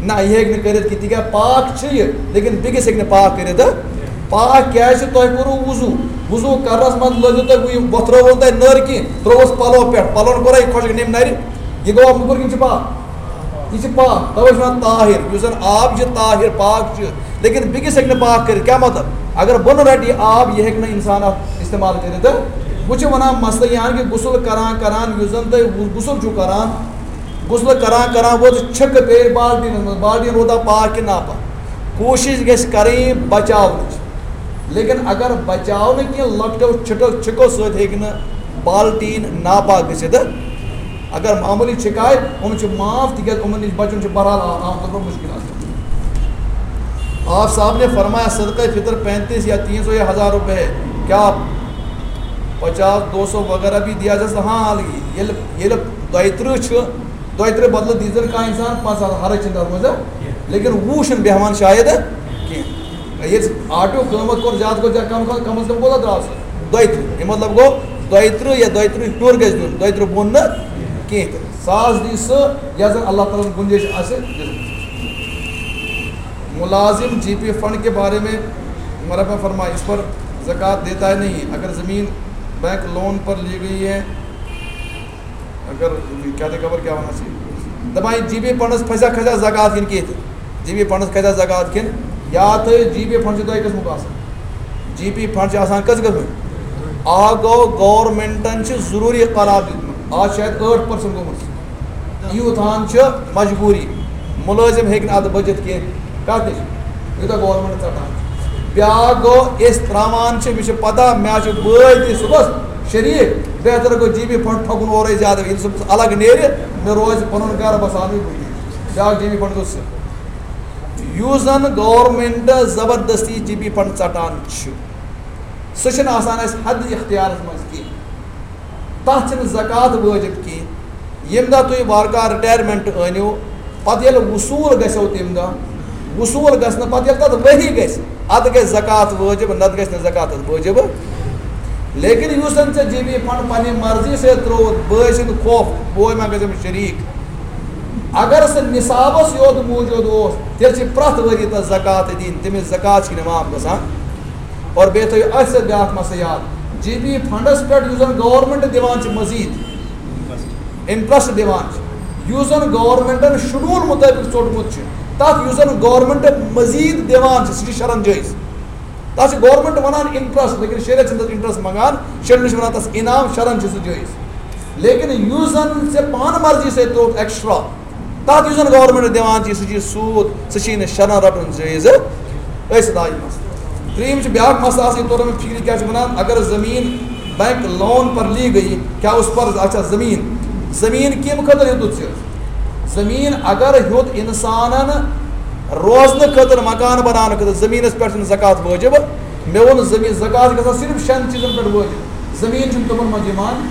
نہ، یہِ ہیٚکہِ نہٕ کٔرِتھ کِہیٖنۍ، تِکیٛازِ پاک چھُ یہِ، لیکن بیٚکِس ہیٚکہِ نہٕ پاک کٔرِتھ۔ پاک کیٛازِ چھُ؟ تۄہہِ کوٚروٕ وضو، وضو کرنَس منٛز لٲگِو تُہۍ وۄنۍ، یہِ وۄتھرٲوٕن تۄہہِ نٔر کِہیٖنۍ، ترٛووُس پَلو پٮ۪ٹھ، پَلوَن کوٚرا یہِ خۄشک، نٮ۪مہِ نَرِ؟ یہِ گوٚوا موٚکُر کِنہٕ چھُ پاک؟ یہِ چھُ پاک، تَوَے چھُ وَنان طاہر، یُس زَن آب چھُ طاہر، پاک چھُ، لیکن بیٚکِس ہیٚکہِ نہٕ پاک کٔرِتھ۔ کیٛاہ مطلب؟ اگر بۄنہٕ رَٹہِ یہِ آب، یہِ ہیٚکہِ نہٕ اِنسان اَتھ استعمال کٔرِتھ۔ وۄنۍ چھِ وَنان مسلہٕ یہِ ہن کہِ غسل کران کران یُس زَن تُہۍ غسل چھُو کران، غسل کران کران وٲژ چھِکہٕ پیٚیہِ بالٹیٖنَس منٛز، بالٹیٖن روٗدا پاک کِنہٕ ناپاک؟ کوٗشِش گژھِ کَرٕنۍ بچاونٕچ، لیکن اگر بچاو نہٕ کینٛہہ، لۄکٹیو چھِٹو، چھِکو سۭتۍ ہیٚکہِ نہٕ بالٹیٖن ناپاک گٔژھِتھ۔ اگر معموٗلی چھِکہٕ آے، یِم چھِ معاف، تِکیٛازِ یِمَن نِش بَچُن چھُ بہرحال عام، عام طور پر مُشکل آسان۔ آپ صاحب نے فرمایا صدقہ فطر پینتیس یا تین سو یا ہزار روپے ہے، کیا پچاس، دو سو وغیرہ بھی دیا جا سکتا؟ ہاں، ییٚلہِ، ییٚلہِ دۄیہِ ترٕٛہ چھُ، دۄیہِ ترٕٛہ بدلہٕ دیٖزٮ۪ن کانٛہہ اِنسان پانٛژھ ساس، حرج چھُنہٕ تَتھ منٛز، لیکن وُہ چھُنہٕ بیٚہوان شاید کینٛہہ۔ ییٚلہِ آٹو قۭمَتھ کوٚر زیادٕ، کوٚر زیادٕ، کم کھۄتہٕ کم از کم کوٗتاہ درٛاو سُہ؟ دۄیہِ ترٕٛہ۔ اَمیُک مطلب گوٚو، دۄیہِ ترٕٛہ یا دۄیہِ ترٕٛہ ہیوٚر گژھِ دیُن، دۄیہِ ترٕٛہ بۄن نہٕ کینٛہہ تہِ۔ ساس دی سُہ، یَتھ زَن اللہ تعالیٰ ہَن گُنجٲیِش آسہِ دِژمٕژ۔ ملازم جی پی فنڈ کے بارے میں مرحبا فرمائے، اس پر زکوٰۃ دیتا ہے نہیں، اگر زمین بینک لون پر لی گئی ہے، اگر کیا تھے خبر کیا ہونا چاہیے؟ دپان یہِ جی پی فنڈس پھسیا، کھسیا زکوٰۃ کِنہٕ کینٛہہ تہِ؟ جی پی فنڈس کھسیا زکوٰۃ کِنہٕ؟ یاد تھٲیِو، جی پی فنڈ چھُ دۄیہِ قٕسمُک آسان۔ جی پی فنڈ چھُ آسان کٔژ قٕسمٕکۍ؟ اکھ گوٚو گورنمنٹن چھُ ضروٗری قرار دیُتمُت، آز چھُ شاید ٲٹھ پٔرسنٹ گوٚمُت۔ یوٗت ہن چھُ مجبوٗری، مُلٲزِم ہیٚکہِ نہٕ اَتھ بٔچِتھ کینٛہہ۔ کَتھ نِش؟ یوٗتاہ گورنمنٹ ژَٹان چھُ۔ بیٛاکھ گوٚو، أسۍ ترٛاوان چھِ، مےٚ چھُ پَتہ، مےٚ حظ چھُ بٲے تہِ صُبحَس شریٖک، بہتر گوٚو جی بی فنڈ تھَکُن اورَے زیادٕ، ییٚلہِ صُبحَس الگ نیرِ، مےٚ روزِ پَنُن گَرٕ بَساونٕے کُنی۔ بیٛاکھ جی بی فنڈ گوٚو سُہ۔ یُس زَن گورنمنٹ زبردستی جی بی فنڈ ژَٹان چھُ، سُہ چھُنہٕ آسان اَسہِ حد اختیارَس منٛز کینٛہہ۔ تَتھ چھِنہٕ زکوٰۃ وٲجِب کینٛہہ۔ ییٚمہِ دۄہ تُہۍ وارٕ کارٕ رِٹایَرمٮ۪نٛٹ أنِو، پَتہٕ ییٚلہِ وصوٗل گژھیو تَمہِ دۄہ، وصوٗل گژھنہٕ پَتہٕ ییٚلہِ تَتھ ؤری گژھِ، اَدٕ گژھِ زکوٰۃ وٲجِب، نَتہٕ گژھِ نہٕ زکوٰۃ وٲجِب۔ لیکن یُس زَن ژےٚ جی بی فنڈ پنٛنہِ مرضی سۭتۍ ترٛووُتھ، بٲے سٕنٛدِ خوف، بوے ما گژھٮ۪م شریٖک؟ اگر سُہ نصابَس یوت موٗجوٗد اوس، تیٚلہِ چھِ پرٛٮ۪تھ ؤری تَتھ زکوٰۃ دِنۍ، تٔمِس زکوٰۃ چھِنہٕ معاف گژھان۔ اور بیٚیہِ تھٲیِو اَتھ سۭتۍ بیٛاکھ مسلہٕ یاد، جی پی فنڈس پٮ۪ٹھ یُس زن گورنمنٹ دِوان چھِ مزید، انٹرسٹ دِوان چھِ، یُس زن گورنمنٹن شیڈول مطٲبق ژوٚٹمُت چھُ، تتھ یُس زن گورنمنٹ مزید دِوان چھِ، سُہ چھُ شرعن جٲیز۔ تتھ چھِ گورنمنٹ ونان انٹرسٹ، لیکن شریعت چھِنہٕ تتھ انٹرسٹ منٛگان، شریعت چھِ ونان تتھ انعام، شرعن چھُ سُہ جٲیز۔ لیکن یُس زن ژےٚ پانہٕ مرضی سۭتۍ ترووُتھ ایکسٹرا، تَتھ یُس زَن گورنمنٹ دِوان چھِ، سُہ چھِ سود، سُہ چھِ نہٕ شرعن رَٹُن جٲیز أسۍ۔ دۄیِم مسلہٕ۔ ترٛیٚیِم چھُ بیٛاکھ مسلہٕ آسان، یہِ توٚر نہٕ مےٚ فِکرِ کیٛاہ چھِ وَنان، اگر زٔمیٖن بینک لون پر لی گئی، کیٛاہ اُس پر، اچھا، زٔمیٖن، زٔمیٖن کَمہِ خٲطرٕ ہیوٚتُتھ ژےٚ؟ زٔمیٖن اگر ہیوٚت اِنسانَن روزنہٕ خٲطرٕ، مکان بناونہٕ خٲطرٕ، زٔمیٖنَس پٮ۪ٹھ چھِنہٕ زکوٰۃ وٲجِب۔ مےٚ ووٚن زٔمیٖن، زکوٰۃ چھِ گژھان صرف شٮ۪ن چیٖزَن پٮ۪ٹھ وٲجِب۔ زٔمیٖن چھِنہٕ تِمَن منٛز یِوان۔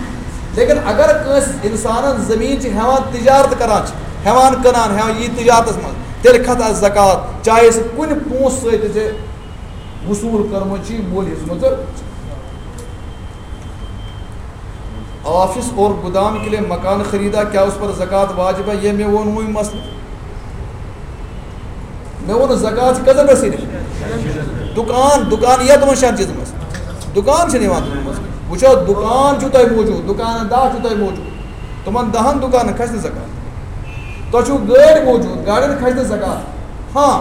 لیکن اگر کٲنٛسہِ اِنسانَن زٔمیٖن چھِ ہٮ۪وان، تجارت کران چھِ، ہٮ۪وان کٕنان، ہٮ۪وان یی تجارتَس منٛز، تیٚلہِ کھَسہِ اَتھ زکوٰۃ، چاہے سُہ کُنہِ پونٛسہٕ سۭتۍ تہِ ژےٚ وصوٗل کٔرمٕژ چھِ، مٔلۍ ہیٚژمٕژ۔ آفس اور گودام کے لیے مکان خریدا، کیا اس پر زکوٰۃ واجب ہے؟ یہ مےٚ ووٚن وۄنۍ مسلہٕ۔ مےٚ ووٚن زکوٰۃ چھِ کٔژَن پٮ۪ٹھ صرف؟ دُکان، دُکان یِیہِ تِمَن شٮ۪ن چیٖزَن منٛز؟ دُکان چھِنہٕ یِوان تِمَن منٛز۔ وٕچھو، دُکان چھُو تۄہہِ موٗجوٗد، دُکان دَہ چھُو تۄہہِ موٗجوٗد، تِمَن دَہَن دُکانَن کھسہِ نہٕ زکوٰۃ۔ تۄہہِ چھُو گٲڑۍ موٗجوٗد، گاڑٮ۪ن کھسہِ نہٕ زکوٰۃ۔ ہاں،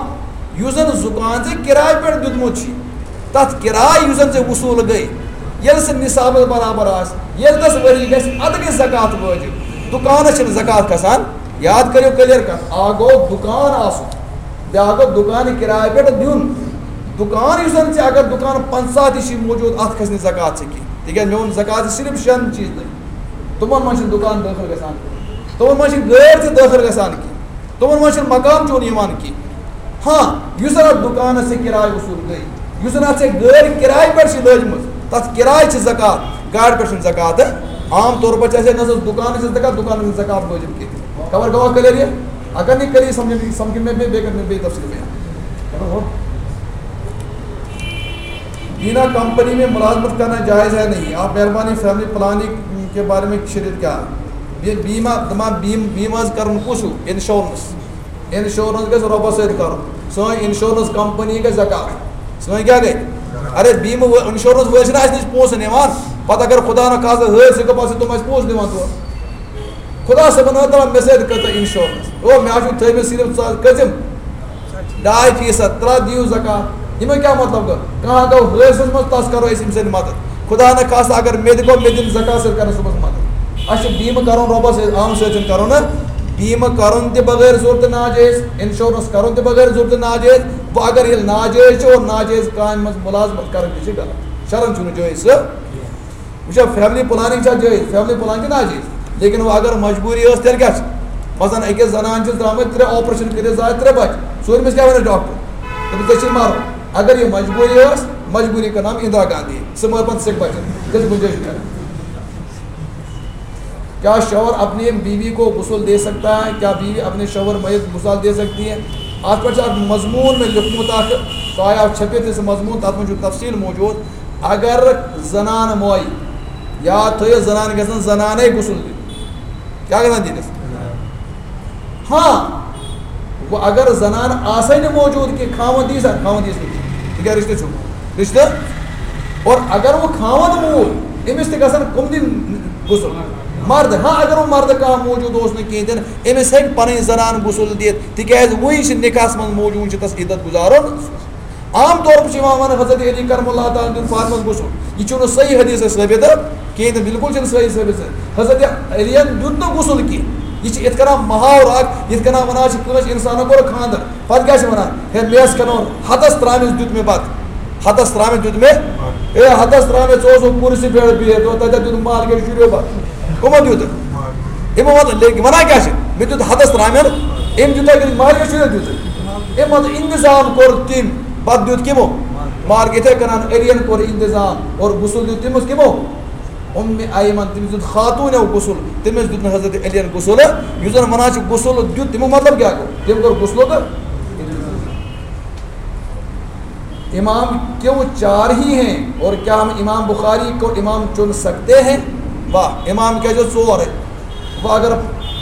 یُس زَن دُکان ژےٚ کِراے پٮ۪ٹھ دیُتمُت چھُے، تَتھ کِراے یُس زَن ژےٚ وصوٗل گٔے، ییٚلہِ سُہ نِصابَس برابر آسہِ، ییٚلہِ تَس ؤری گژھِ، اَدٕ گژھِ زکوٰۃ وٲجِب۔ دُکانَس چھِنہٕ زکوٰۃ کھسان۔ یاد کٔرِو کٔلیَر کَتھ، اَکھ گوٚو دُکان آسُن، بیٛاکھ گوٚو دُکان کِراے پٮ۪ٹھ دیُن۔ دُکان یُس زَن ژےٚ، اگر دُکان پنٛژاہ تہِ چھِ موٗجوٗد، اَتھ کھسہِ نہٕ زکوٰۃ ژےٚ کینٛہہ، تِکیٛازِ مےٚ ووٚن زکوٰۃ چھِ صرف شٮ۪ن چیٖزنٕے، تِمَن منٛز چھِنہٕ دُکان دٲخٕل گژھان، تِمَن منٛز چھِنہٕ گٲڑۍ تہِ دٲخٕل گژھان کینٛہہ، تِمَن منٛز چھِنہٕ مکان چون یِوان کینٛہہ۔ ہاں، یُس زَن اَتھ دُکانَس ژےٚ کِراے وصوٗل گٔے، یُس زَن اَتھ ژےٚ گٲڑۍ کِراے پٮ۪ٹھ چھِ لٲجمٕژ، تَتھ کِراے چھِ زکوٰۃ، گاڑِ پٮ۪ٹھ چھِنہٕ زکوٰۃ۔ عام طور پَر چھِ اَسہِ نظر دُکانَس چھِ زکوٰۃ، دُکانَس چھِنہٕ زکوٰۃ وٲجِب کینٛہہ۔ خبر گوٚوا clear یہِ؟ اگر نہٕ clear سَمجھ، سَمجھ مےٚ بیٚیہِ، بیٚیہِ کَرٕ مےٚ بیٚیہِ تفصیٖل بیان۔ بینا کمپنی میں ملازمت کرنا جائز ہے نہیں۔ آپ مہربانی فیملی پلاننگ کے بارے میں شریعت کیا؟ یہ بیمہ، دپان بیم-، بیمہ حظ کرُن کُس ہیوٗ؟ انشورنس۔ انشورنس گژھِ رۄبس سۭتۍ کرُن۔ سٲنۍ انشورنس کمپنی گژھِ زکات۔ سٲنۍ کیٛاہ گٔے؟ ارے بیمہٕ وٲ-، انشورنس وٲلۍ چھِنہٕ اَسہِ نِش پونٛسہٕ نِوان۔ پتہٕ اگر خدا نہ خاصہ حٲدثہٕ گوٚو، پتہٕ چھِ تِم اَسہِ پونٛسہٕ دِوان تورٕ۔ خدا صٲبن ٲس دپان، مےٚ سۭتۍ کٔر تۄہہِ انشورنس۔ او، مےٚ حظ چھُ تھٲومٕتۍ صرف ژٕ حظ کٔژِم؟ ڈاے فیٖصد۔ ترٛٹھ دِیِو زکات۔ یِمن کیٛاہ مطلب گوٚو؟ کانٛہہ گوٚو حٲدثس منٛز، تس کرو أسۍ أمۍ سٕنٛدِ مدد۔ خدا نہ خاصہ اگر مےٚ تہِ گوٚو، مےٚ دِن زکات سۭتۍ کرن صُبحس مدد۔ اَسہِ چھُ بیمہٕ کرُن رۄبس سۭتۍ، عام سۭتۍ چھُنہٕ کرُن نہ۔ بیمہٕ کرُن تہِ بغٲر ضروٗرتہٕ ناجٲیز، انشورنس کرُن تہِ بغٲر ضروٗرتہٕ ناجٲیز۔ وۄنۍ اگر ییٚلہِ ناجٲیز چھُ اور ناجٲیز کامہِ منٛز مُلازمت کرٕنۍ تہِ چھِ غلط۔ شرعن چھُنہٕ جٲیز سُہ۔ وٕچھو، فیملی پلاننگ چھا جٲیز؟ فیملی پلاننگ چھِ ناجٲیز۔ لیکن وۄنۍ اگر مجبوٗری ٲس، تیٚلہِ کیٛاہ چھِ؟ مثلاً، أکِس زنانہِ چھِ درٛامٕتۍ ترٛےٚ آپریشن کٔرِتھ، زایہِ ترٛےٚ بچہِ۔ ژوٗرمِس کیٛاہ وَنٮ۪س ڈاکٹر؟ دَپٮ۪س، ژےٚ چھِ مَرُن۔ اگر یہِ مجبوٗری ٲس، مجبوٗری کَرناو اِندرا گاندھی۔ سُہ مَرِ پَتہٕ سِکھ بچن۔ تیٚلہِ گُنجٲیِش کَرِ۔ کیا شوہر اپنی بیوی کو غسل دے سکتا ہے؟ کیا بیوی اپنے شوہر میت غسل دے سکتی ہے؟ اَتھ پٮ۪ٹھ چھُ اَکھ مضموٗن مےٚ لیوٚکھمُت اَکھ، سُہ آیو چھٔپِتھ، یہِ سُہ مضموٗن، تَتھ منٛز چھُ تفصیٖل موجود۔ اگر زنان مویہِ، یاد تھٲیِو، زنان گژھن زنانے غسل دیُن۔ کیٛاہ گژھان دیٖنَس؟ ہاں، وۄنۍ اگر زنان آسے نہٕ موجود کینٛہہ، خاوند دیٖس ہا، خاوند دیٖس نہٕ کینٛہہ۔ ژٕ کیٛاہ رِشتہٕ چھُکھ؟ رِشتہٕ؟ اور اگر وۄنۍ خاوند موٗد، أمِس تہِ گژھن کٕم دِنۍ غسل؟ مرد۔ ہاں، اگر وۄنۍ مردٕ کانٛہہ موجود اوس نہٕ کِہیٖنۍ تہِ نہٕ، أمِس ہیٚکہِ پنٕنۍ زنان غسل دِتھ، تِکیٛازِ وۄنۍ چھِ نِکاحس منٛز موجود، چھِ تَس عدت گُزارُن۔ عام طور پر چھِ یِوان وننہٕ، حضرت علی کرم اللہ تعالیٰ دیُت فاطمس غسل۔ یہِ چھُنہٕ صحیح حدیثس ثٲبت کینٛہہ تہٕ بالکل چھُنہٕ صحیح ثٲبت۔ حضرت علیَن دیُت نہٕ غسل کینٛہہ۔ یہِ چھِ یِتھ کٔنۍ محاورٕ اکھ، یِتھ کٔنۍ ونان چھِ کٲنٛسہِ انسانن کوٚر خانٛدر۔ پتہٕ کیٛاہ چھِ ونان؟ ہے، مےٚ ٲس کھٮ۪ناوان، ہتس ترامِس دیُت مےٚ بتہٕ۔ ہتس ترامِس دیُت مےٚ، اے، ہتس ترامِس، ژٕ اوسُکھ کُرسی پٮ۪ٹھ بِہِتھ، تَتٮ۪تھ دیُت مالکٮ۪ن شُریو بتہٕ۔ کٕمو دیُت؟ یِمو ووٚن، لیکن ونان کیٛاہ چھِ؟ مےٚ دیُت ہتس ترامٮ۪ن، أمۍ دیُت تۄہہِ کِنہٕ مالکٮ۪ن شُرٮ۪ن دیُت؟ أمۍ مطلب انتظام کوٚر تٔمۍ، پتہٕ دیُت کِمو؟ مالکٮ۪ن۔ یِتھَے کٔنۍ علیَن کوٚر انتظام اور غسل دیُت تٔمِس کِمو؟ اُمہِ ایمن، تٔمِس دیُت خاتوٗنیو غسل، تٔمِس دیُت نہٕ حضرت علیَن غسل، یُس زن ونان چھِ غسل دیُت، تمیُک مطلب کیٛاہ گوٚو؟ تٔمۍ کوٚر غسلُک امام کیوں چار ہی ہیں اور کیا ہم امام بخاری کو امام چن سکتے ہیں؟ واہ، امام کیٛاہ چھِ ژور اَتہِ؟ وۄنۍ اگر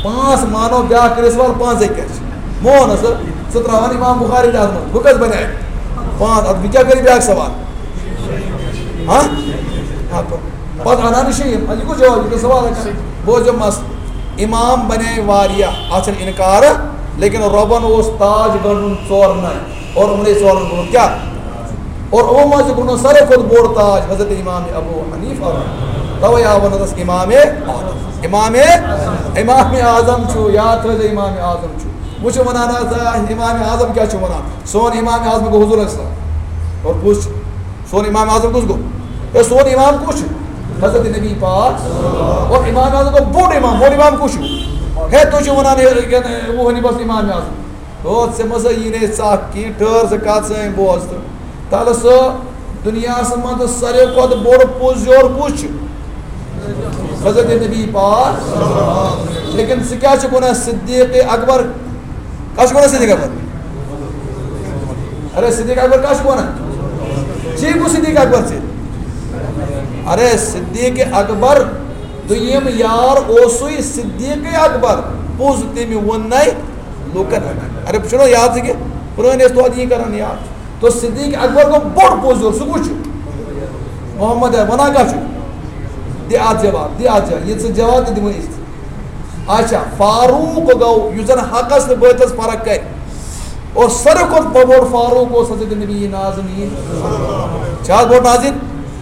پانٛژھ مانو، بیٛاکھ کٔرِس وَلہٕ پانٛژَے کیٛاہ چھِ؟ مون حظ، ژٕ ترٛاوان امام بخاری تہِ اَتھ منٛز، بہٕ کَتہِ بَنہِ اَتہِ؟ پانٛژھ، اَدٕ بہٕ کیٛاہ کٔرٕ بیٛاکھ سوال؟ ہاں؟ ہاں، پَتہٕ اَنان شیٖن، اَدٕ یہِ کُس جواب، یہِ کُس سوال ہٮ۪کان؟ بوز یہِ مسلہٕ، امام بَنے واریاہ، اَتھ چھَنہٕ اِنکار، لیکن رۄبَن اوس تاج گنٛڈُن ژورنَے۔ اور یِمنٕے ژورَن گوٚو کیٛاہ؟ اور یِمو منٛز چھُ گوٚمُت ساروی کھۄتہٕ بوٚڑ تاج حضرت امام ابو حنیفہ۔ توے آو وننس امام اعظم۔ امام، امام اعظم چھُ، یاد تھٲیزیو، امام اعظم چھُ۔ وۄنۍ چھِ ونان آز، آ، امام اعظم کیٛاہ چھُ ونان؟ سون امام اعظم گوٚو حضور علیہ السلام۔ اور کُس چھُ؟ سون امام اعظم کُس گوٚو؟ ہے، سون امام کُس چھُ؟ حضرت نبی پاک۔ اور امام اعظم گوٚو بوٚڑ امام، بوٚڑ امام کُس چھُ؟ ہے، تُہۍ چھِو ونان، ہے، ابو حنیفہ امام اعظم۔ ہو، ژےٚ مہ سا یی نہٕ ژکھ کینٛہہ، ٹھٔہر ژٕ کتھ سٲنۍ بوز تہٕ۔ تلہٕ سا، دُنیاہس منٛز ساروی کھۄتہٕ بوٚڑ پوٚز یور کُس چھُ؟ حضرت نبی پاک۔ لیکن ژٕ کیٛاہ چھُکھ ونان صدیق اکبر؟ کیٛاہ چھُکھ ونان صدیق اکبر؟ ارے صدیق اکبر کیٛاہ چھُکھ ونان؟ چی گوٚو صدیق اکبر ژےٚ؟ ارے صدیق اکبر دوٚیِم یار اوسُے صدیق اکبر، پوٚز تٔمۍ ووٚن نَے لوٗکن۔ ارے، بہٕ چھُس نا یاد ژےٚ کہِ پرٛٲنۍ ٲسۍ توتہِ یی کران یاد۔ تو صدیق اکبر گوٚو بوٚڑ پوٚز یور، سُہ کُس چھُ؟ محمد ہے، وَنان کیٛاہ چھُ؟ دِ اَتھ جواب، دِ اَتھ جواب، یہِ ژٕ جواب تہِ دِمو أسۍ۔ اچھا، فاروق گوٚو، یُس زَن حقس تہٕ بٲطلس فرق کرِ۔ اور ساروی کھۄتہٕ بوٚڑ فاروق اوس حضرت نبی نازنین۔ چھا بوٚڑ نازنین؟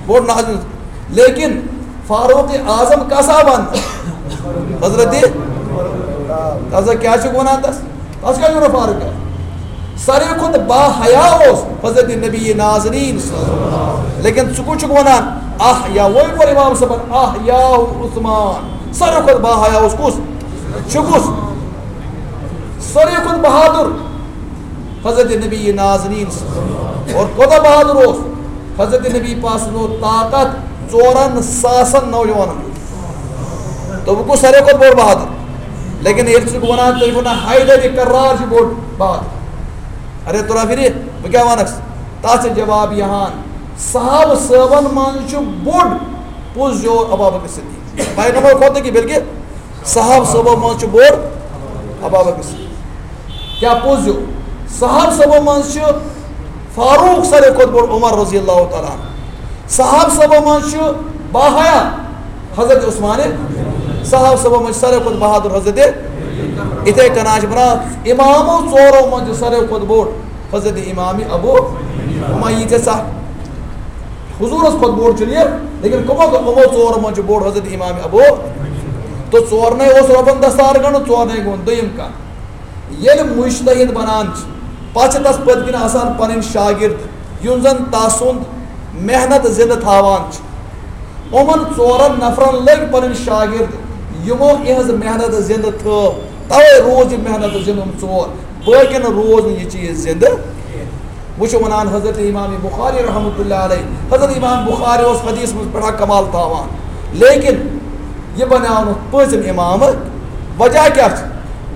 بوٚڑ نازنین۔ لیکن فاروق اعظم کس آو وننہٕ؟ حضرت، تس کیٛاہ چھُکھ ونان تس؟ تس کیٛاہ چھُکھ ونان فاروق اعظم؟ ساروی کھۄتہٕ با حیا اوس حضرت نبی نازنین۔ لیکن ژٕ کُس چھُکھ ونان؟ احیا، وۄنۍ کوٚر امام صٲبن احیا عثمان۔ ساروی کھۄتہٕ با حیا اوس کُس؟ چھُ کُس؟ ساروی کھۄتہٕ بہادُر۔ حضرت نبی نازنین صلی اللہ علیہ وسلم۔ اور کوتاہ بہادر اوس؟ حضرت نبی پاک سُنٛد اوس طاقت ژورن ساسن نوجوانن ہُنٛد۔ تہٕ وۄنۍ کُس ساروی کھۄتہٕ بوٚڑ بہادر؟ لیکن ییٚلہِ ژٕ وَنان، تُہۍ وَنان حیدر کرار چھُ بوٚڑ بہادر۔ ارے تُرا فِرِ، بہٕ کیٛاہ وَنَکھ؟ تَتھ چھُ جواب یِہان، صحابہٕ صٲبن منٛز چھُ بوٚڑ پوٚز یور ابابکر صدیق۔ پیغمبر کھۄتہٕ نہٕ کینٛہہ، بلکہِ صحابہٕ صٲبو منٛز چھُ بوٚڑ ابابکر صدیق۔ کیٛاہ پوٚز یہِ؟ صحابہٕ صٲبو منٛز چھُ فاروق ساروی کھۄتہٕ بوٚڑ عمر رضی اللہ تعالیٰ عنہ۔ صحابہٕ صٲبو منٛز چھُ باحیا حضرت عثمان۔ صحابہٕ صٲبو منٛز چھُ ساروی کھۄتہٕ بہادر حضرت۔ یِتھَے کٔنۍ چھِ وَنان، امامو ژورو منٛز چھُ ساروی کھۄتہٕ بوٚڑ حضرت امام ابو۔ وۄنۍ ییٖژاہ سا حضوٗرس کھۄتہٕ بوٚڑ چھُنہٕ یہِ، لیکن کٕمو، کٕمو ژورو منٛز چھُ بوٚڑ حضرت امام ابو۔ تہٕ ژورنٕے اوس رۄبن دستار گنٛڈُن، ژورنٕے گوٚو دوٚیِم کانٛہہ۔ ییٚلہِ مجتہد بنان چھِ، پتہٕ چھِ تس پٔتۍ کِنۍ آسان پنٕنۍ شاگرد، یِم زن تسُنٛد محنت زندٕ تھاوان چھِ۔ یِمن ژورن نفرن لٔگۍ پنٕنۍ شاگرد، یِمو یِہنٛز محنت زندٕ تھٲو، توے روٗز یہِ محنت زندٕ، یِم ژور، باقین روٗز نہٕ یہِ چیٖز زندٕ۔ وۄنۍ چھُ وَنان حضرت امام بخاری رحمتہ اللہ علیہ، حضرت امام بخاری اوس حدیث منٛز بڑا کمال تھاوان، لیکن یہِ بنیٛاو نہٕ پٲنٛژِم امام۔ وجہ کیٛاہ چھُ؟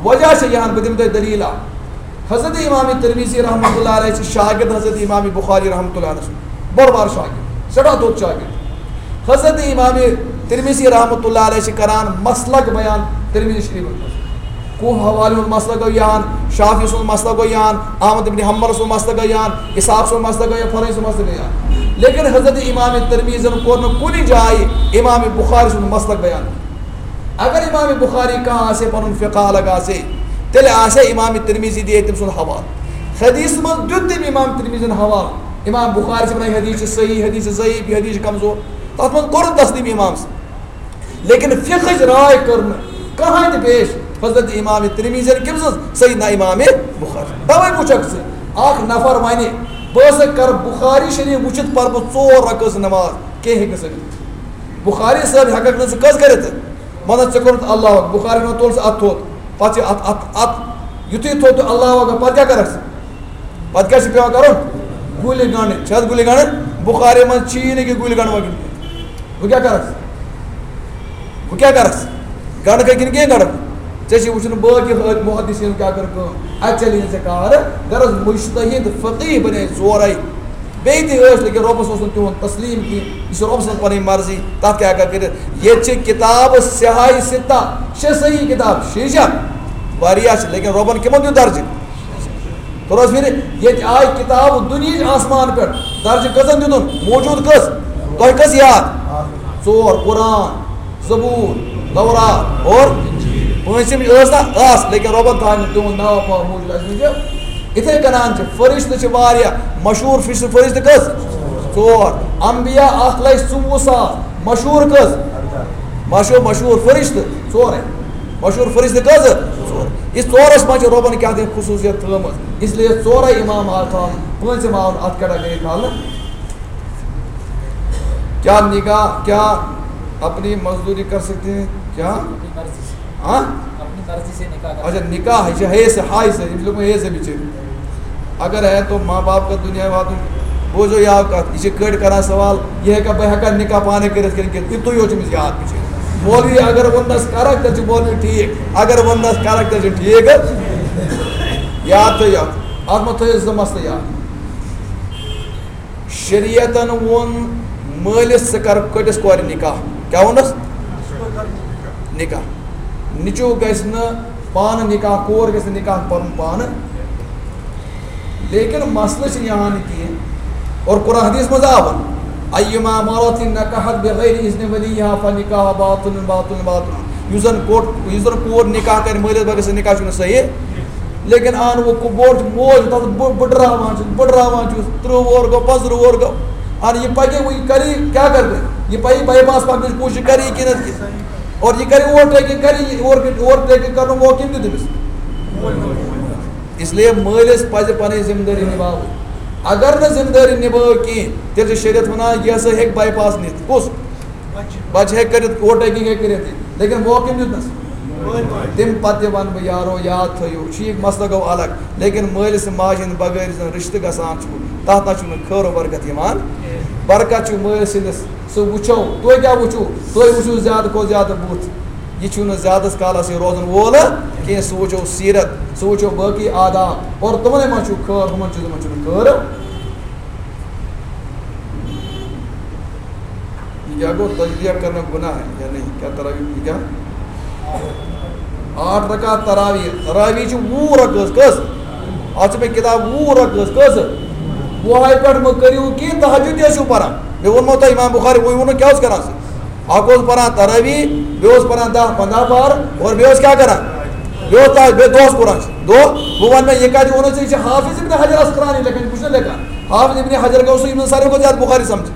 وجہ چھِ یِہن، بہٕ دِمہٕ تۄہہِ دٔلیٖل اکھ۔ حضرت امام ترمذی رحمتہ اللہ علیہ چھِ شاگرد حضرت امام بخاری رحمتہ اللہ علیہ سُنٛد، بوٚڑ بار شاگرد، سٮ۪ٹھاہ دوٚر شاگرد۔ حضرت امام ترمذی رحمتہ اللہ علیہ چھِ کران مسلک بیان ترمذی شریفس منٛز۔ کوہ حوالی ہُنٛد مسلک گوٚو یان، شافعی سُنٛد مسلک گوٚو یان، احمد ابن حنبل سُنٛد مسلک گوٚو یان، اسحاق سُنٛد مسلک گوٚو یان، فلٲنۍ سُنٛد مسلک گوٚو یان۔ لیکن حضرت امام ترمذین کوٚر نہٕ کُنہِ جایہِ امام بخاری سُنٛد مسلک بیان۔ اگر امام بخاری کانٛہہ آسہِ ہے، پنُن فقہ الگ آسہِ ہے، تیٚلہِ آسہِ ہے امام ترمذی دِیہِ ہے تٔمۍ سُنٛد حوالہٕ۔ حدیث منٛز دیُت تٔمۍ امام ترمذین حوالہٕ۔ امام بخاری چھِ ونان، یہِ حدیث چھِ صحیح، حدیث چھِ ضعیف، یہِ حدیث چھِ کمزور۔ تتھ منٛز کوٚرُن تسلیٖم امام سٕنٛد۔ لیکن فقہٕچ راے کٔر نہٕ کٕہٕنۍ تہِ پیش حضرت امام ترمذین کٔمۍ سٕنٛز؟ سیدنا امام بخاری۔ توے وٕچھکھ ژٕ، اکھ نفر ونہِ، بہٕ ہسا کرٕ بخاری شریف وٕچھِتھ پرٕ بہٕ ژور رکٲژ نماز، کینٛہہ ہیٚکہِ نہٕ سا گٔژھِتھ۔ بخاری صٲب ہٮ۪ککھ نہٕ ژٕ کٔژ کٔرِتھ؟ وَنان ژےٚ کوٚرُتھ اللہ اکبر، بُخاری وَنان تُل سا اَتھ تھوٚد، پَتہٕ چھِ اَتھ، اَتھ، اَتھ، یُتھُے تھوٚد تہٕ اللہ اکبر، پَتہٕ کیٛاہ کَرَکھ ژٕ؟ پَتہٕ کیٛاہ چھِ پٮ۪وان کَرُن؟ گُلہِ گَنٛڈٕنۍ، چھِ حظ گُلہِ گَنٛڈٕنۍ؟ بُخاری منٛز چھی نہٕ کہِ گُلہِ گَنٛڈٕ وَنہِ۔ بہٕ کیٛاہ کَرَکھ ژٕ؟ بہٕ کیٛاہ کَرَکھ ژٕ؟ گَنٛڈٕ کَتہِ کِنہٕ کینٛہہ گَنٛڈٕ؟ ژےٚ چھِ وٕچھُن باقٕے حٲج محدثیٖن کیٛاہ کٔر کٲم، اَتہِ چَلے نہٕ ژےٚ کار، غرض مُجتہد فقیٖح بَنے ژورَے۔ بیٚیہِ تہِ ٲسۍ، لیکن رۄبَس اوس نہٕ تِہُنٛد تسلیٖم کینٛہہ۔ یہِ چھِ رۄب سٕنٛز پَنٕنۍ مرضی، تَتھ کیٛاہ ہٮ۪کان کٔرِتھ؟ ییٚتہِ چھِ کِتابہٕ صحاح ستہ، شےٚ صحیح کِتاب، شیٖشہ واریاہ چھِ، لیکن رۄبَن کِمَن دیُت درجہٕ؟ توٚر حظ فِرِ؟ ییٚتہِ آے کِتابہٕ دُنیہٕچ آسمان پٮ۪ٹھ، درجہٕ کٔژَن دیُتُن؟ موجوٗد کٔژ؟ تۄہہِ کٔژ یاد؟ ژور، قرآن، زبور، تورات اور پٲنٛژِم ٲس نا؟ ٲس، لیکن رۄبَن تھایہِ نہٕ تِہُنٛد ناو پاو موجوٗد اَسہِ منٛز۔ یِتھَے کٔنۍ چھِ فرشتہٕ چھِ واریاہ، مشہوٗر فرشتہٕ، فرشتہٕ کٔژ؟ ژور۔ انبیاء اَکھ لَچھ ژوٚوُہ ساس، مشہوٗر کٔژ؟ مشہوٗر، مشہوٗر فرشتہٕ ژورَے۔ مشہوٗر فرشتہٕ کٔژ؟ ژور۔ یہِ ژورَس منٛز چھِ رۄبَن کیٛاہ تام خصوٗصیت تھٲومٕژ، اس لیے ژورَے امام آو تھاونہٕ، پٲنٛژِم آو نہٕ اَتھ category تھاونہٕ۔ کیا نکاح، کیا اپنی مزدوری کر سکتے ہیں؟ کیا؟ اپنی مرضی سے۔ ہاں؟ اپنی مرضی سے نکاح کر اچھا، نکاح ہے، یہ ہے سے، ہائی سے، یہ لوگ ہے سے بچے۔ اگر ہے تو ماں باپ کا دنیا واتُن، بوزو یا کتھ، یہ کڑ کرا سوال، یہ ہے کہ بہ ہیکا نکاح پانے کٔرِتھ کِنہٕ کِنہٕ، یہِ تُہۍ یوت چھُ أمِس یاد بچے۔ مولوی اگر وننس کرک، تیٚلہِ چھُ مولوی ٹھیک، اگر وننس کرک، تیٚلہِ چھُ ٹھیک۔ یاد تھٲیِو، اتھ منٛز تھٲیِو زٕ مسلہٕ یاد۔ شریعتن ووٚن مٲلِس، ژٕ کر کٔٹِس کورِ نکاح۔ کیٛاہ ووٚنُس؟ نکاح۔ نیٚچو گژھِ نہٕ پانہٕ نکاح، کور گژھِ نہٕ نکاح پرُن پانہٕ۔ لیکن مسلہٕ چھِ یِہان کینٛہہ۔ اور قرآن حدیث منٛز آو وَنہٕ، "ایما امرأة نکحت بغیر اذن ولیها فنکاح باطل باطل باطل۔" یُس زن کوٹ، یُس زن کور نکاح کرِ مٲلِس بغٲر، سُہ نکاح چھُنہٕ صحیح۔ لیکن آن وہ کو-، بوڑ موج، تَتھ بہٕ، بہٕ ڈراوان چھُس، بہٕ ڈراوان چھُس، ترٕٛہ وُہُر گوٚو، پانٛژھ ترٕٛہ وُہُر گوٚو۔ اَہَن یہِ پَکہِ وۄنۍ، یہِ کَرِ، کیٛاہ کَرِ وۄنۍ؟ یہِ پَیہِ bypass پَکنٕچ کوٗشِش کَرِ یہِ کِنہٕ نہٕ کِنہٕ؟ اور یہِ کَرِ overtaking، کَرِ یہِ over-، overtaking کَرنُک موقعہٕ کٔمۍ دیُت أمِس؟ اس لیے مٲلِس پَزِ پَنٕنۍ ذمہٕ دٲری نِبھاوٕنۍ۔ اگر نہٕ ذمہٕ دٲری نِبھٲو کِہیٖنۍ، تیٚلہِ چھُ شریعت وَنان، یہِ ہسا ہیٚکہِ bypass نِتھ۔ کُس؟ بچہِ ہیٚکہِ کٔرِتھ، overtaking ہیٚکہِ کٔرِتھ، لیکن موقعہٕ کٔمۍ دیُتنَس؟ تَمہِ پَتہٕ تہِ وَنہٕ بہٕ، یارو، یاد تھٲیِو، ٹھیٖک، مسلہٕ گوٚو الگ، لیکن مٲلِس تہٕ ماجہِ ہِنٛدۍ بغٲر یُس زَن رِشتہٕ گژھان چھُ، تَتھ نہ چھُنہٕ خٲر و برکت یِوان۔ برکت چھُ مٲلۍ سٕنٛدِس، سُہ وٕچھو، تُہۍ کیٛاہ وٕچھِو؟ تُہۍ وٕچھِو زیادٕ کھۄتہٕ زیادٕ بُتھ۔ یہِ چھُنہٕ زیادَس کالَس یہِ روزَن وول کینٛہہ، سُہ وٕچھو سیٖرت، سُہ وٕچھو باقٕے آداب، اور تِمَنٕے منٛز چھُ خٲر، ہُمَن چیٖزَن منٛز چھُنہٕ خٲر۔ یہ کیا گو؟ تجزیہ کرنا گناہ ہے یا نہیں؟ کیا تراویح، یہ کیا؟ آٹھ رکعت تراویح۔ تراویح چھِ وُہ رکعت۔ کٔژ؟ اتھ چھِ مےٚ کتاب وُہ رکعت۔ کٔژ؟ وُہے پٮ۪ٹھ مہٕ کٔرِو کینٛہہ، تہجد تہِ ٲسِو پران۔ مےٚ ووٚنمو تۄہہِ، امام بخاری وۄنۍ ووٚنُکھ کیٛاہ اوس کران سُہ؟ اکھ اوس پران تراویح، بیٚیہِ اوس پران دَہ پنٛداہ پار، اور بیٚیہِ اوس کیٛاہ کران؟ بیٚیہِ اوس تَتھ، بیٚیہِ دۄہس قرآن چھِ۔ دۄہ، بہٕ وَنہٕ مےٚ، یہِ کَتہِ ووٚنُتھ ژےٚ؟ یہِ چھِ حافظ ابن حجر عسقلانی لیکھان، بہٕ چھُس نہٕ لیکھان۔ حافظ ابن حجر گوٚو سُہ یِمن ساروی کھۄتہٕ زیادٕ بُخاری سمجھ۔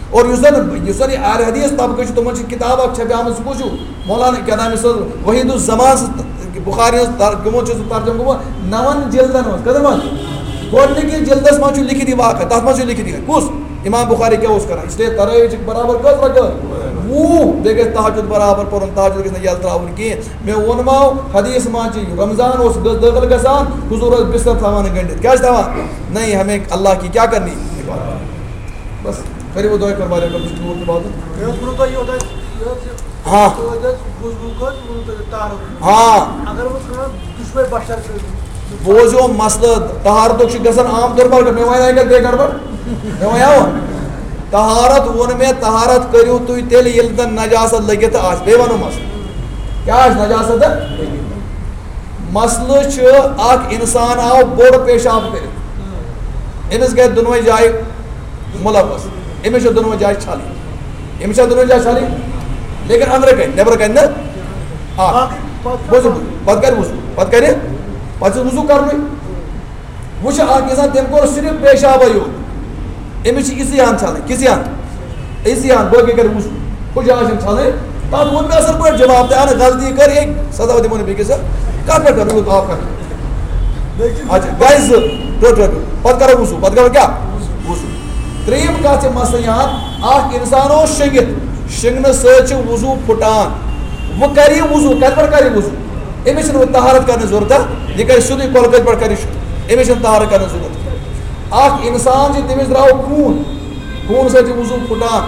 اور یُس زَن، یُس زَن یہِ اہل حدیث طبقہٕ چھُ، تِمن چھِ کِتاب اکھ چھپیمٕژ، سُہ کُس چھُ؟ مولانا کیٛاہ نام، یُس حظ وحید الزمان سٕنٛز بُخاری ہٕنٛز ترجمہٕ چھُ سُہ ترجمہٕ گوٚمُت نَوَن جلدن منٛز۔ کٔژن منٛز؟ گۄڈٕنِکِس جلدس منٛز چھُ لیکھِتھ یہِ واقعہ، تَتھ منٛز چھُ لیکھِتھ یہِ۔ کُس؟ امام بخاری کیٛاہ اوس کران؟ اس لیے تراویح چھِ برابر کٔژ رکعت؟ وُہ۔ بیٚیہِ گژھِ تہجد برابر پرُن، تہجد گژھِ نہٕ یَلہٕ تراوُن کینٛہہ۔ مےٚ ووٚنمو، حدیث منٛز چھِ رمضان اوس دٲخل گژھان، حضور اوس بستر تھاوان گٔنڈِتھ۔ کیٛازِ تھاوان؟ نہیں، ہمیں اللہ کی کیا کرنی؟ عبادت۔ بس، کٔرِو وۄنۍ دۄیہِ خٲر واریاہ، کٔرِو ٹوٗر تہِ واتُن۔ مےٚ اوس ووٚنمُت تۄہہِ یوٚہَے، ہاں۔ تُہۍ ٲسۍ بُزمُت حظ، ووٚنمُت تۄہہِ طاہرُک۔ ہاں۔ اگر وۄنۍ کانٛہہ دُشمَے بشر کٔرِو۔ بوزیو مسلہٕ، طہارتُک چھُ گژھان عام طور پر، مےٚ وَنہِ اَکہِ لَٹہِ بیٚیہِ گڑبڑ؟ مےٚ وَنیٛاو؟ طہارت ووٚن مےٚ، طہارت کٔرِو تُہۍ تیٚلہِ ییٚلہِ زَن نجاست لٔگِتھ آسہِ۔ بیٚیہِ وَنو مسلہٕ۔ کیٛاہ آسہِ نجاست؟ مسلہٕ چھُ، اکھ اِنسان آو بوٚڑ پیشاب کٔرِتھ، أمِس گٔے دۄنوَے جایہِ مُلوث، أمِس چھِ دۄنوَے جایہِ چھَلٕنۍ۔ أمِس چھا دۄنوَے جایہِ چھَلٕنۍ؟ لیکن أنٛدرٕ کَنہِ، نٮ۪برٕ کَنہِ نہٕ۔ آ، بوٗزِو، بوٗزِو، پَتہٕ کَرِ وضوٗ، پَتہٕ کَرِ، پَتہٕ چھُ وضوٗ کَرنُے۔ وۄنۍ چھُ اَکھ اِنسان، تٔمۍ کوٚر صرف پیشابَے یوت، أمِس چھِ یِژٕے ہَن چھَلٕنۍ، کِژٕے ہَن؟ أسی ہن، باقٕے کَرِ وضوٗ۔ ہُہ جاے چھَنہٕ چھَلٕنۍ۔ تَتھ ووٚن مےٚ اَصٕل پٲٹھۍ جواب تہِ، اَہَن غلطی کٔر، ہے، سَزا دِمو نہٕ بیٚکِس۔ کَتھ پٮ۪ٹھ کَرو یوٗت آب خرچ؟ اچھا، گٔے زٕ، ٹوٹل۔ پَتہٕ کَرو وضوٗ، پَتہٕ کَرو کیٛاہ؟ وضوٗ۔ ترٛیٚیِم کَتھ چھِ مسلہٕ یہِ ہن، اَکھ اِنسان اوس شۄنٛگِتھ، شۄنٛگنہٕ سۭتۍ چھُ وضوٗ پھُٹان۔ وۄنۍ کَرِ یہِ وضوٗ، کَتہِ پٮ۪ٹھ کَرِ یہِ وضوٗ؟ أمِس چھِنہٕ وۄنۍ طہارت کَرنٕچ ضروٗرت، یہِ کَرِ سیوٚدُے کۄلہٕ کٔژِ پٮ۪ٹھ کَرِ شروٗع، أمِس چھِنہٕ طہارت کَرنٕچ ضروٗرت۔ اَکھ اِنسان چھِ، تٔمِس درٛاو خوٗن، خوٗن سۭتۍ چھِ وضوٗ پھُٹان۔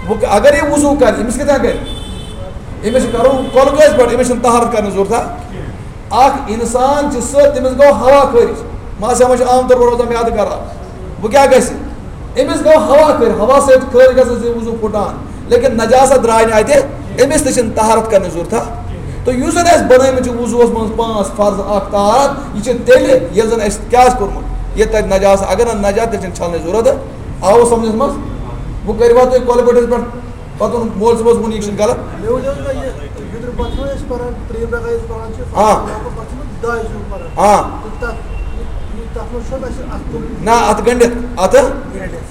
وۄنۍ اگر یہِ وضوٗ کَرِ، أمِس کِتھ کٔنۍ کَرِ؟ أمِس چھِ کَرُن کۄلہٕ کٔژِ پٮ۪ٹھ، أمِس چھِنہٕ طہارت کَرنٕچ ضروٗرت۔ اَکھ اِنسان چھِ سُہ، تٔمِس گوٚو ہوا خٲرِج، ماسہِ ہا منٛز چھِ عام طور پر روزان میٛادٕ خراب۔ وۄنۍ کیٛاہ گژھِ؟ أمِس گوٚو ہوا خٲرِج، ہوا سۭتۍ خٲرِج گژھان زِ وضوٗ پھُٹان، لیکن نجاست درٛاے نہٕ اَتہِ، أمِس تہِ چھِنہٕ طہارت کَرنٕچ ضروٗرت۔ تہٕ یُس زَن اَسہِ بَنٲومٕتۍ چھِ وضوٗوَس منٛز پانٛژھ فرض، اَکھ طہارت، یہِ چھِ تیٚلہِ ییٚلہِ زَن اَسہِ کیٛاہ آسہِ کوٚرمُت، یہِ تَتہِ نجاست، اگر نہٕ نجاست، تیٚلہِ چھِنہٕ چھَلنٕچ ضروٗرت۔ آوٕ سَمجھَس منٛز؟ وۄنۍ کٔرِو واتہٕ تُہۍ کۄلہٕ بٔٹھِس پٮ۪ٹھ، پَتہٕ ووٚن مول صٲبَس ووٚن، یہِ چھُنہٕ غلط۔ مےٚ ؤنِو حظ، یہِ وِترِ پَتہٕ چھُنہ أسۍ پَران، ترٛیٚیِم رکعت أسۍ پَران چھِ، آ۔ پَتہٕ چھِ دۄیہِ زٕ پَران۔ آ۔ تہٕ تَتھ، یہِ، تَتھ منٛز چھُنہ اَسہِ اَتھ کوٚرمُت نہ، اَتھ گٔنٛڈِتھ، اَتھ۔ گٔنٛڈِتھ۔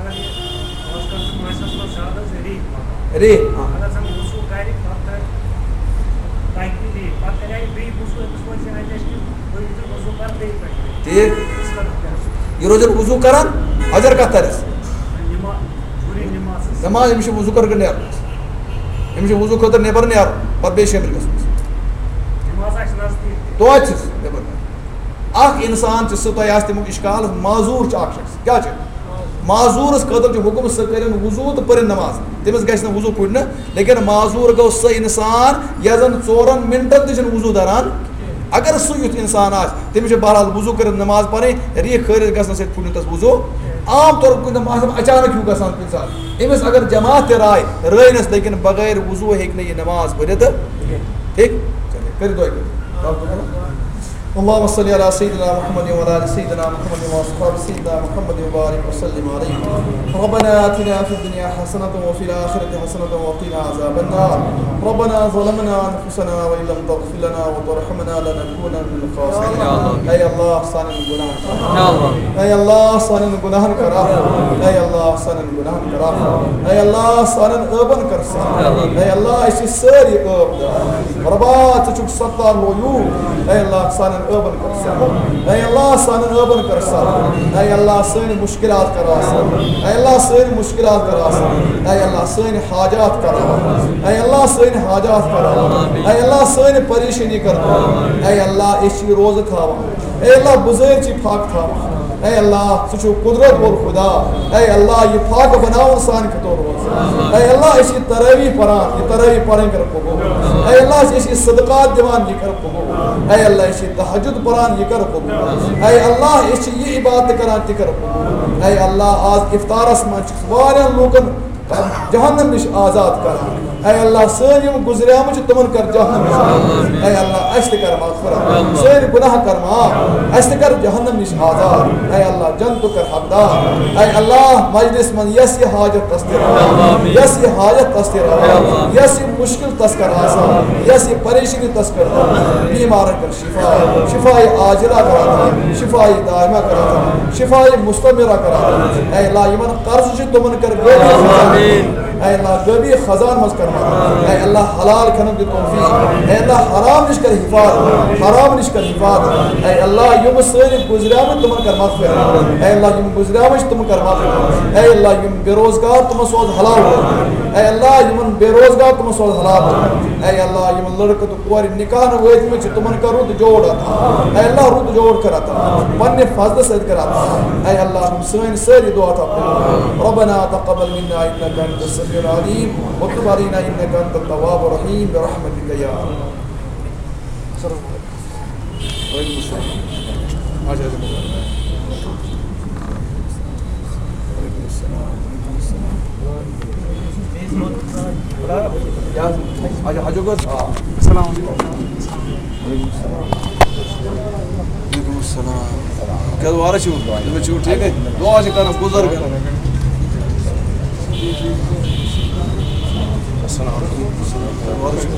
اگر یہِ آز کل چھُ مٲنٛسِس منٛز زیادٕ حظ ریٖح پَکان۔ ریٖح، آ۔ اگر زَن وضوٗ کَرِ، پَتہٕ کَرِ، تَتہِ تہِ ریٖح۔ پَتہٕ کَرِ یہِ بیٚیہِ وضوٗ، أمِس وَنہِ زِ اَتہِ اَسہِ کہِ بہٕ یُتھُے وضوٗ کَرٕ بیٚیہِ پَکہِ۔ ٹھیٖک۔ یُس کَران کیٛاہ چھُ؟ یہِ روزِ وضوٗ کَران، حجر کَتھ تَرٮ۪س؟ نِما-، پوٗرٕ نِماز حظ۔ نِماز، أمِس چھُ وضوٗ خٲطرٕ نیرُن۔ أمِس چھُ وضوٗ خٲطرٕ نٮ۪بر نیرُن، پَتہٕ بیٚیہِ شٲمِل گژھُن۔ نِماز آسہِ نزدیٖک۔ توتہِ چھُس نٮ۪بر نیرُن۔ اَکھ اِنسان چھُ، سُہ تۄہہِ آسہِ تَمیُک اِشکال، معذوٗر چھُ اَکھ شخص۔ کیٛاہ چھُ؟ معذوٗرس خٲطرٕ چھُ حُکم، سُہ کٔرِن وضوٗ تہٕ پٔرِن نماز۔ تٔمِس گژھِ نہٕ وضوٗ پھُٹنہٕ، لیکن معذوٗر گوٚو سُہ اِنسان یَس زَن ژورَن مِنٹَن تہِ چھُنہٕ وضوٗ دَران۔ اگر سُہ یُتھ اِنسان آسہِ، تٔمِس چھُ بہرحال وضوٗ کٔرِتھ نماز پَرٕنۍ، ریٖح خٲرِج گژھنہٕ سۭتۍ پھُٹہِ تَس وضوٗ۔ عام طور کُنہِ دۄہ آسان اچانک ہیوٗ گژھان کُنہِ ساتہٕ۔ أمِس اگر جماعت تہِ راے، رٲوِنَس، لیکن بغٲر وضوٗ ہیٚکہِ نہٕ یہِ نماز پٔرِتھ۔ ٹھیٖک؟ چلے، کٔرِو دُعا کٔرِو۔ اللهم صل على سيدنا محمد وعلى آل سيدنا محمد وأصحاب سيدنا محمد وبارك وسلم عليه. ربنا آتنا في الدنيا حسنة وفي الآخرة حسنة وقنا عذاب النار. ربنا ظلمنا أنفسنا وإن لم تغفر لنا وترحمنا لنكونن من الخاسرين. اے اللہ، سانٮ۪ن گناہن کر عفو۔ اے اللہ، سانٮ۪ن گناہن کر عفو۔ اے اللہ، سانٮ۪ن گناہن کر عفو۔ اے اللہ، سانٮ۪ن عٲبن کر صاف۔ اے اللہ، أسۍ چھِ سٲری عٲب دار۔ ربا، ژٕ چھُکھ ستار غیور۔ اے اللہ، سانٮ۪ن عٲبن کر سہل۔ اے اللہ، سانٮ۪ن عٲبن کر سہل۔ اے اللہ، سٲنۍ مشکلات کر آسان۔ اے اللہ، سٲنۍ مشکلات کر آسان۔ اے اللہ، سٲنۍ حاجات کر آسان۔ اے اللہ، سٲنۍ حاجات کر آسان۔ اے اللہ، سٲنۍ پریشٲنی کر دور۔ اے اللہ، أسۍ چھِ روزٕ تھاوان۔ اے اللہ، بُزٲرۍ چھِ فاقہٕ تھاوان۔ اے اللہ، ژٕ چھُکھ قدرت وول خدا۔ اے اللہ، یہِ فاقہٕ بناوُن سانہِ خٲطرٕ روزٕ۔ اے اللہ، أسۍ چھِ تراویح پران، یہِ تراویح پرٕنۍ کر قبول۔ اے اللہ، أسۍ چھِ صدقات دِوان، یہِ کر قبول۔ اے اللہ، أسۍ چھِ تہجد پران، یہِ کر قبول۔ اے اللہ، أسۍ چھِ یہِ عبادت کران، تہِ کر قبول۔ اے اللہ، آز افطارس منٛز چھِ واریاہن لوٗکن جہنم نِش آزاد کران۔ اے اللہ، سٲنۍ یِم گُزریمٕتۍ چھِ، تِمن کر جہنم نِش آزاد۔ اے اللہ، اَسہِ تہِ کر مغفرت، سٲنۍ گناہ کر معاف، اَسہِ تہِ کر جہنم نِش آزاد۔ اے اللہ، جنتُک کر حقدار۔ اے اللہ، مجلس منٛز یس یہِ حاجت تس تہِ روا، یس یہِ حاجت تس تہِ روا، یس یہِ مشکل تس کر آسان، یس یہِ پریشانی تس کر دور۔ بیمارن کر شفا، شفای عاجلہ کر عطا، شفای دائمہ کر عطا، شفای مستمرہ کر عطا۔ اے اللہ، یِمن قرض چھِ، تِمن کر غٲبی خزان۔ اے اللہ، غٲبی خزان منٛز کر مدد۔ اے اللہ، حلال کھٮ۪نُک دِ توفیق۔ اے اللہ، حرام نِش کر حفاظت، حرام نِش کر حفاظت۔ اے اللہ، یِم سٲنۍ گُزریمٕتۍ، تِمن کر مغفرت۔ اے اللہ، یِم گُزریمٕتۍ چھِ، تِمن کر مغفرت۔ اے اللہ، یِم بے روزگار، تِمن سوز حلال روزگار۔ اے اللہ، یِمن بے روزگار، تِمن سوز حلال روزگار۔ اے اللہ، یِمن لڑکہٕ تہٕ کورِ نکاح نہٕ وٲتمٕتۍ چھِ، تِمن کر رُت جوڑ عطا۔ اے اللہ، رُت جوڑ کر عطا۔ پننہِ فضلہٕ سۭتۍ کر عطا۔ اے اللہ، یِم سٲنۍ سٲری دعا تھاو قبول۔ ربنا تقبل منا انك انت السميع العليم وتب علينا انك انت التواب الرحيم برحمتك يا ارحم۔ السلام عليكم۔ وعليكم السلام۔ وعليكم السلام۔ وعليكم السلام۔ السلام عليكم۔ وعليكم السلام۔ کیٛاہ حظ وارٕ چھِو؟ تُہۍ چھِو ٹھیٖکٕے؟ دُعا چھِ کران بُزرگن۔ السلام علیکم۔ وارٕ چھِو؟